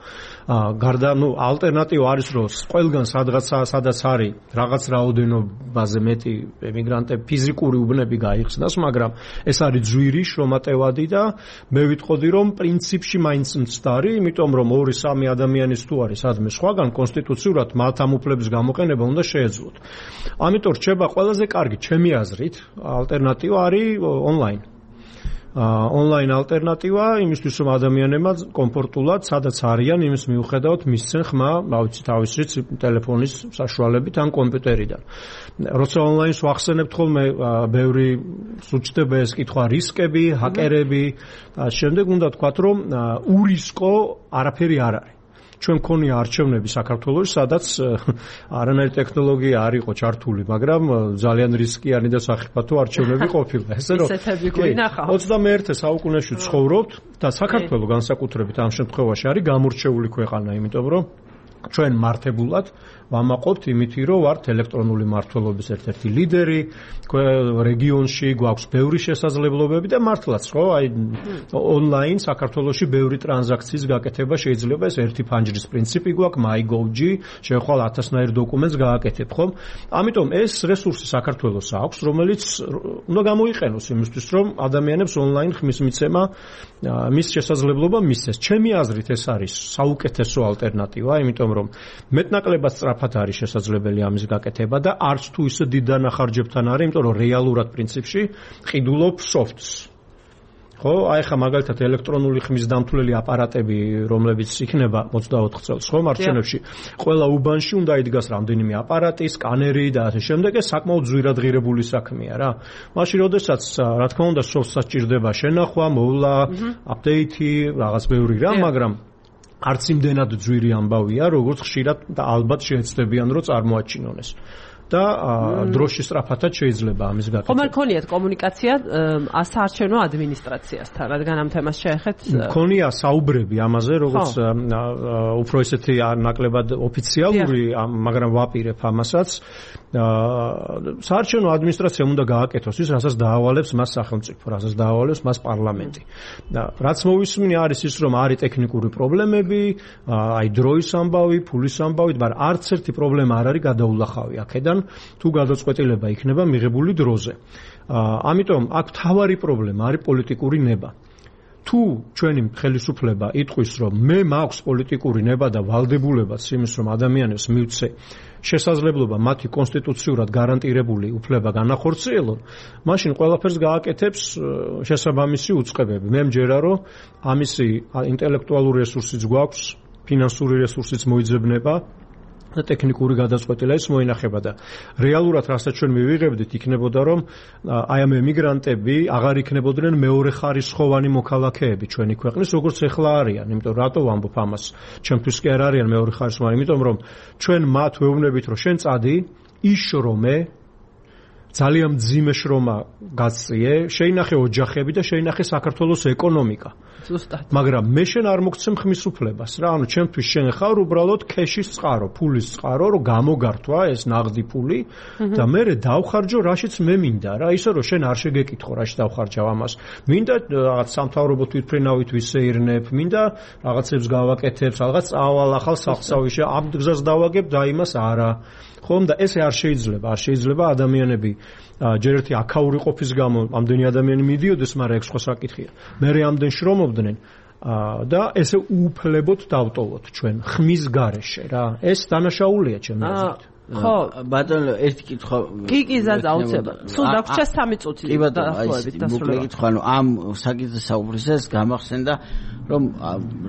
გარდა, ალტერნატივა არის, რომ ყველგან სადაც არის რაღაც რაოდენობაზე მეტი ემიგრანტები ფიზიკური უბნები გაიხსნას, მაგრამ ეს არის ძვირი, შრომატევადი და მე ვიტყოდი, რომ პრინციპში მაინც მცდარი, იმიტომ რომ 2-3 ადამიანის თუ არის სადმე სხვაგან კონსტიტუციურად მათ ამ უფლების გამოყენება უნდა შეეძლოთ. ამიტომ რჩება ყველაზე კარგი ჩემი აზრით ალტერნატივა არის ონლაინ. ონლაინ ალტერნატივა იმისთვის, რომ ადამიანებმა კომფორტულად, სადაც არიან, იმის მიუხედავად მისცენ ხმა, ავიცი თავისით ტელეფონის საშუალებით ან კომპიუტერიდან. როცა ონლაინს ვახსენებთ ხოლმე, ბევრი სუჩდება ეს კითხვა, რისკები, ჰაკერები, შემდეგ უნდა თქვათ, რომ ურისკო არაფერი არ არის. ჩვენ მქონია არჩევნები საქართველოში, სადაც არანაირი ტექნოლოგია არ იყო ჩართული, მაგრამ ძალიან რისკიანი და სახიფათო არჩევნები ყოფილა. ესე რომ 21 საუკუნეში ცხოვრობთ და საქართველო განსაკუთრებით ამ შემთხვევაში არის გამორჩეული ქვეყანა, იმიტომ რომ ჩვენ მართებულად ვამაყობთ იმითი, რომ ვართ ელექტრონული მმართველობის ერთ-ერთი ლიდერი, რეგიონში გვაქვს ბევრი შესაძლებლობები და მართლაც, ხო, აი ონლაინ საქართველოში ბევრი ტრანზაქციის გაკეთება შეიძლება, ეს ერთი ფანჯრის პრინციპი გვაქვს, MyGov-ში, შევხვალ 1000-ნაირ დოკუმენტს გააკეთებ, ხო? ამიტომ ეს რესურსი საქართველოს აქვს, რომელიც უნდა გამოიყენოს იმისთვის, რომ ადამიანებს ონლაინ ხმის მიცემა მის შესაძლებლობა მისცეს. ჩემი აზრით ეს არის საუკეთესო ალტერნატივა, იმიტომ რომ მეტნაკლებად სწრაფად არის შესაძლებელი ამის გაკეთება და არც თუ ისე დიდ დანახარჯებთან არის, იმიტომ რომ რეალურად პრინციპში ყიდულობ სოფტს. ხო, აი ხა მაგალითად ელექტრონული ხმის დამთვლელი აპარატები, რომლებიც იქნება 24 წელს, ხო, მარჩენებში, ყველა უბანში უნდა იდგას რამდენიმე აპარატი, სკანერი და ასე შემდეგ, ეს საკმაოდ ძვირადღირებული საქმეა რა. მაშინ როდესაც, რა თქმა უნდა, სოფტს სჭირდება შენახვა, მოვლა, აპდეითი, რაღაც ბევრი რა, მაგრამ არც იმდენად ძვირი ამბავია, როგორც ხშირად და ალბათ შეეცდებიან, რომ წარმოაჩინონ ეს. და დროში სწრაფადაც შეიძლება ამის გაკეთება.
ხომ არ ქონიათ კომუნიკაცია საარჩევნო ადმინისტრაციასთან, რადგან ამ თემას შეეხეთ?
ქონია საუბრები ამაზე, როგორც უფრო ესეთი ნაკლებად ოფიციალური, მაგრამ ვაპირებ ამასაც. საარჩევნო ადმინისტრაცია უნდა გააკეთოს ის, რასაც დაავალებს მას სახელმწიფო, რასაც დაავალებს მას პარლამენტი. რაც მოვისმინე არის ის, რომ არის ტექნიკური პრობლემები, აი დროის ამბავი, ფულის ამბავი, მაგრამ არც ერთი პრობლემა არ არის გადაულახავი აქედან, თუ გადაწყვეტილება იქნება მიღებული დროზე. ამიტომ აქ მთავარი პრობლემა არის პოლიტიკური ნება. თუ ჩვენი ხელისუფლება იტყვის, რომ მე მაქვს პოლიტიკური ნება და ვალდებულებაც იმის, რომ ადამიანებს მივცე შესაძლებლობა მათი კონსტიტუციურად გარანტირებული უფლება განახორციელონ, მაშინ ყველაფერს გააკეთებს შესაბამისი უწყებები. მე მჯერა, რომ ამისი ინტელექტუალური რესურსიც გვაქვს, ფინანსური რესურსიც მოიძებნება და ტექნიკური გადაწყვეტილება ის მოინახება და რეალურად რასაც ჩვენ მივიღებდით იქნებოდა რომ აი ამ ემიგრანტები აღარ იქნებოდნენ მეორე ხარისხოვანი მოქალაქეები ჩვენი ქვეყნის როგორც ეხლა არიან, იმიტომ რატო ვამბობ ამას, ჩემთვის კი არ არიან მეორე ხარისხოვანი, იმიტომ რომ ჩვენ მათ ვეუბნებით რომ შენ წადი იშრომე ძალიან მძიმე შრომა გაწიე, შეინახე ოჯახები და შეინახე საქართველოს ეკონომიკა. მაგრამ მე შენ არ მოგცემ ხმის უფლებას რა, ანუ ჩემთვის შენ ხარ უბრალოდ ქეშის წყარო, ფულის წყარო, რომ გამოგართვა ეს ნაღდი ფული და მე დავხარჯო რაშიც მე მინდა რა, ისე რომ შენ არ შეგეკითხო რაში დავხარჯავ ამას. მინდა რაღაც სამთავრობო თვითმფრინავით ვისეირნებ, მინდა რაღაცებს გავაკეთებ, რაღაც წავალ ახალ სახლსავიში, ამ გზას დავაგებ და იმას არა. ხომ და ესე არ შეიძლება ადამიანები ჯერ ერთი აქაური ყოფის გამო ამდენი ადამიანი მიდიოდეს, მაგრამ ეგ სხვა საკითხია. მერე ამდენ შრომობდნენ და ესე უუფლებოდ დავტოვოთ ჩვენ ხმის გარეშე რა. ეს დანაშაულია ჩემი აზრით.
ხო,
ბატონო, ერთი კითხვა.
კი, ზადა აუცილებლად. სულ დაგვრჩა 3 წუთი დაახლოებით დასრულება.
კითხვა, ანუ ამ საკითხზე საუბრისას გამახსენდა, რომ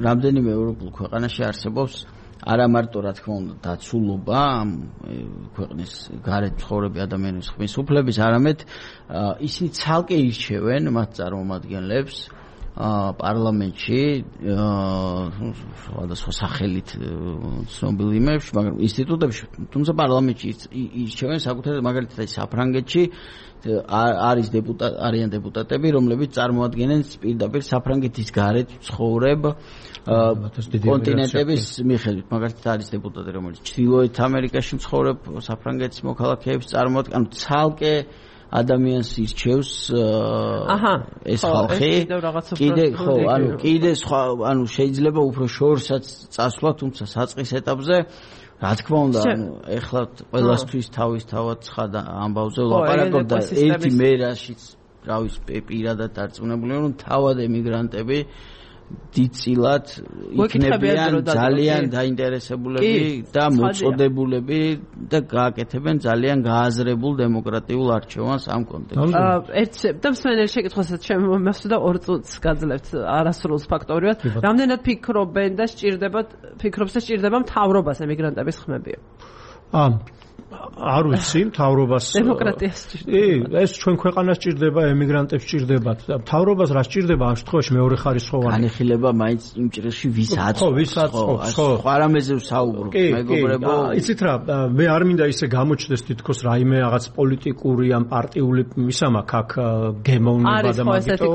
რამდენიმე ევროპულ ქვეყანაში არსებობს არა მარტო რა თქმა უნდა დაცულობა ამ ქვეყნის გარეთ მცხოვრები ადამიანების ხმის უფლების, არამედ ისინი ცალკე ირჩევენ მათ წარმომადგენლებს პარლამენტში სხვადასხვა სახელით ცნობილ იმებში, მაგრამ ინსტიტუტებში, თუმცა პარლამენტში ირჩევენ საკუთარ მაგალითად საფრანგეთში არიან დეპუტატები, რომლებიც წარმოადგენენ პირდაპირ საფრანგეთის გარეთ მცხოვრებ კონტინენტების მიხედვით. მაგალითად არის დეპუტატი, რომელიც ჩრდილოეთ ამერიკაში მცხოვრებ საფრანგეთის მოქალაქეებს წარმოადგენს, ანუ ცალკე ადამიანს ირჩევს ეს ხალხი. კიდე სხვა, ანუ შეიძლება უფრო შორსაც წასვლა, თუმცა საწყის ეტაპზე რა თქმა უნდა, ეხლა ყველასთვის თავისთავად ცხადა ამბავზე ვლაპარაკობ და ერთი მე რაშიც რავის პირადად დარწმუნებული რომ თავად ემიგრანტები დიდწილად იქნებიან ძალიან დაინტერესებულები და მოწოდებულები და გააკეთებენ ძალიან გააზრებულ დემოკრატიულ არჩევანს ამ კონტექსტში.
და მსმენელი შეკითხვასაც შემოსვდა 2 წუთს გაძლევთ არასრულს ფაქტობრივად. რამდენად ფიქრობენ და სჭირდება მთავრობას ემიგრანტების ხმები? არ ვიცი, მთავრობას დემოკრატიას
სჭირდება. ეს ჩვენ ქვეყანას სჭირდება, ემიგრანტებს სჭირდებათ. მთავრობას რა სჭირდება ამ შემთხვევაში მეორე ხარისხოვანი?
განეხილება მაინც იმ ჭრილში ვის აწყობს. ხო, არამეზე ვსაუბრობ, მეგობრებო.
იცით რა, მე არ მინდა ისე გამოჩნდეს თითქოს რაიმე რაღაც პოლიტიკური ან პარტიული მისამაქ აქ გემოვნება და
მაგიტო.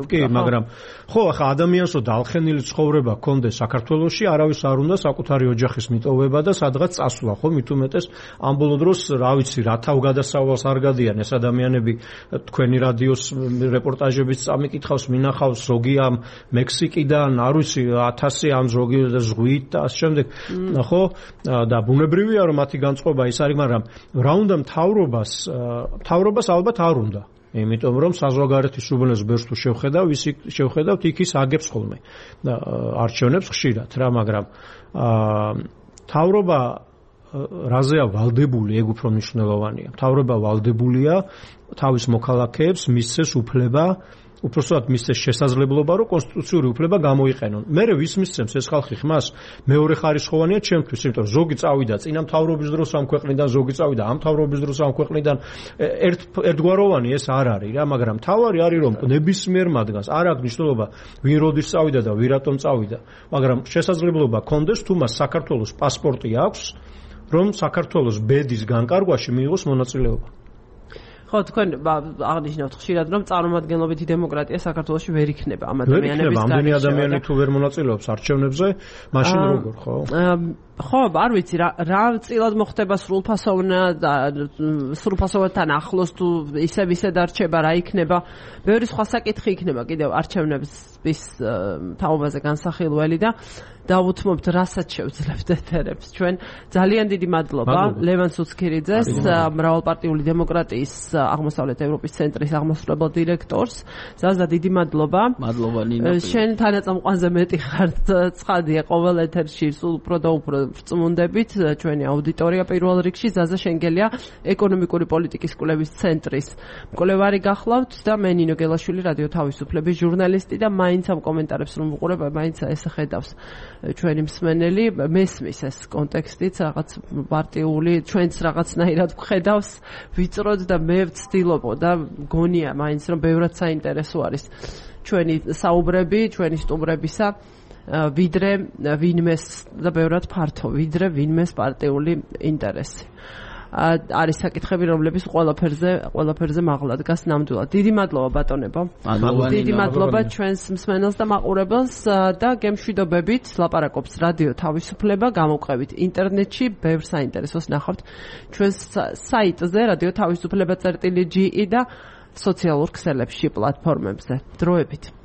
კი, მაგრამ ხო, ახლა ადამიანს რო დალხენილი ცხოვრება ჰქონდეს საქართველოში, არავის არ უნდა საკუთარი ოჯახის მიტოვება და სადღაც წასვლა, ხო, მით უმეტეს ამ ბოლო დროს რა ვიცი რა თავგადასავალს არ გადიან ეს ადამიანები თქვენი რადიოს რეპორტაჟების წამიკითხავს მინახავს ზოგი ამ მექსიკიდან არ ვიცი 1000 ამ ზოგი ზღვით და ამ შემდეგ ხო და ბუნებრივია რომ მათი განწყობა ის არის, მაგრამ რა უნდა მთავრობას ალბათ არ უნდა, იმიტომ რომ საზღვარგარეთის უბნელს ბერს თუ შევხედავთ იქ ის აგებს ხოლმე და არჩევნებს ხშირად რა, მაგრამ მთავრობა რაზეა ვალდებული, ეგ უფრო მნიშვნელოვანია. მთავრობა ვალდებულია თავის მოქალაქეებს მისცეს უფლება, უпроსტად მისცეს შესაძლებლობა, რომ კონსტიტუციური უფლება გამოიყენონ. მერე ვის მისცემს ეს ხალხი ხმას? მეორე ხარისხოვანია ჩემთვის, იმიტომ რომ ზოგი წავიდა წინა მთავრობის დროს ამ ქვეყნიდან, ზოგი წავიდა ამ მთავრობის დროს ამ ქვეყნიდან. ერთგვაროვანი ეს არ არის რა, მაგრამ თავარი არის რომ ნებისმიერ მათგანს არ აქვს მნიშვნელობა ვინ როდის წავიდა და ვინ რატომ წავიდა, მაგრამ შესაძლებლობა კონდეს თუ მას საქართველოს პასპორტი აქვს რომ საქართველოს ბედის განკარგვაში მიიღოს მონაწილეობა.
ხო, თქვენ აღნიშნავთ ხშირად, რომ წარმომადგენლობითი დემოკრატია საქართველოში ვერ იქნება ამ ადამიანების
გარშემო. ამდენი ადამიანი თუ ვერ მონაწილეობს არჩევნებზე, მაშინ როგორ, ხო?
ხო, არ ვიცი რა წილად მოხდება სრულფასოვანთან ახლოს თუ ისე დარჩება, რა იქნება. ბევრი სხვა საკითხი იქნება კიდევ არჩევნების თაობაზე განსახილველი და დავუთმობთ, რასაც შევძლებთ ეთერებს. ჩვენ ძალიან დიდი მადლობა ლევან სუცქირიძეს, მრავალპარტიული დემოკრატიის აღმოსავლეთ ევროპის ცენტრის აღმასრულებელ დირექტორს. ზაზა, დიდი მადლობა.
მადლობა ნინა.
შენ თანაწამყვანზე მეტი ხარ, ცხადია ყოველ ეთერში სულ უფრო და უფრო ვწმუნდებით ჩვენი აუდიტორია პირველ რიგში. ზაზა შენგელია ეკონომიკური პოლიტიკის კვლევის ცენტრის მკვლევარი გახლავთ და მე ნინო გელაშვილი რადიო თავისუფლების ჟურნალისტი და მაინც ამ კომენტარებს რომ ვუყურებ, მაინც ესე ხედავს ჩვენი მსმენელი, მესმის ეს კონტექსტიც რაღაც პარტიული, ჩვენც რაღაცნაირად ვხედავს, ვიწროდ და მე ვცდილობ და გონია მაინც რომ ბევრად საინტერესო არის ჩვენი საუბრები, ჩვენი სტუმრებისა, ვიდრე ვინმეს და ბევრად ფართო, ვიდრე ვინმეს პარტიული ინტერესი. არის საკითხები, რომლებიც ყველაფერზე მაღლა დგას ნამდვილად. დიდი მადლობა ბატონებო. დიდი მადლობა ჩვენს მსმენელს და მაყურებელს და გემშვიდობებით ლაპარაკობს რადიო თავისუფლება, გამოვყევით ინტერნეტში, ბევრ საინტერესოს ნახავთ ჩვენს საიტზე radio-tavisupleba.ge და სოციალურ ქსელებში, პლატფორმებზე. დროებით.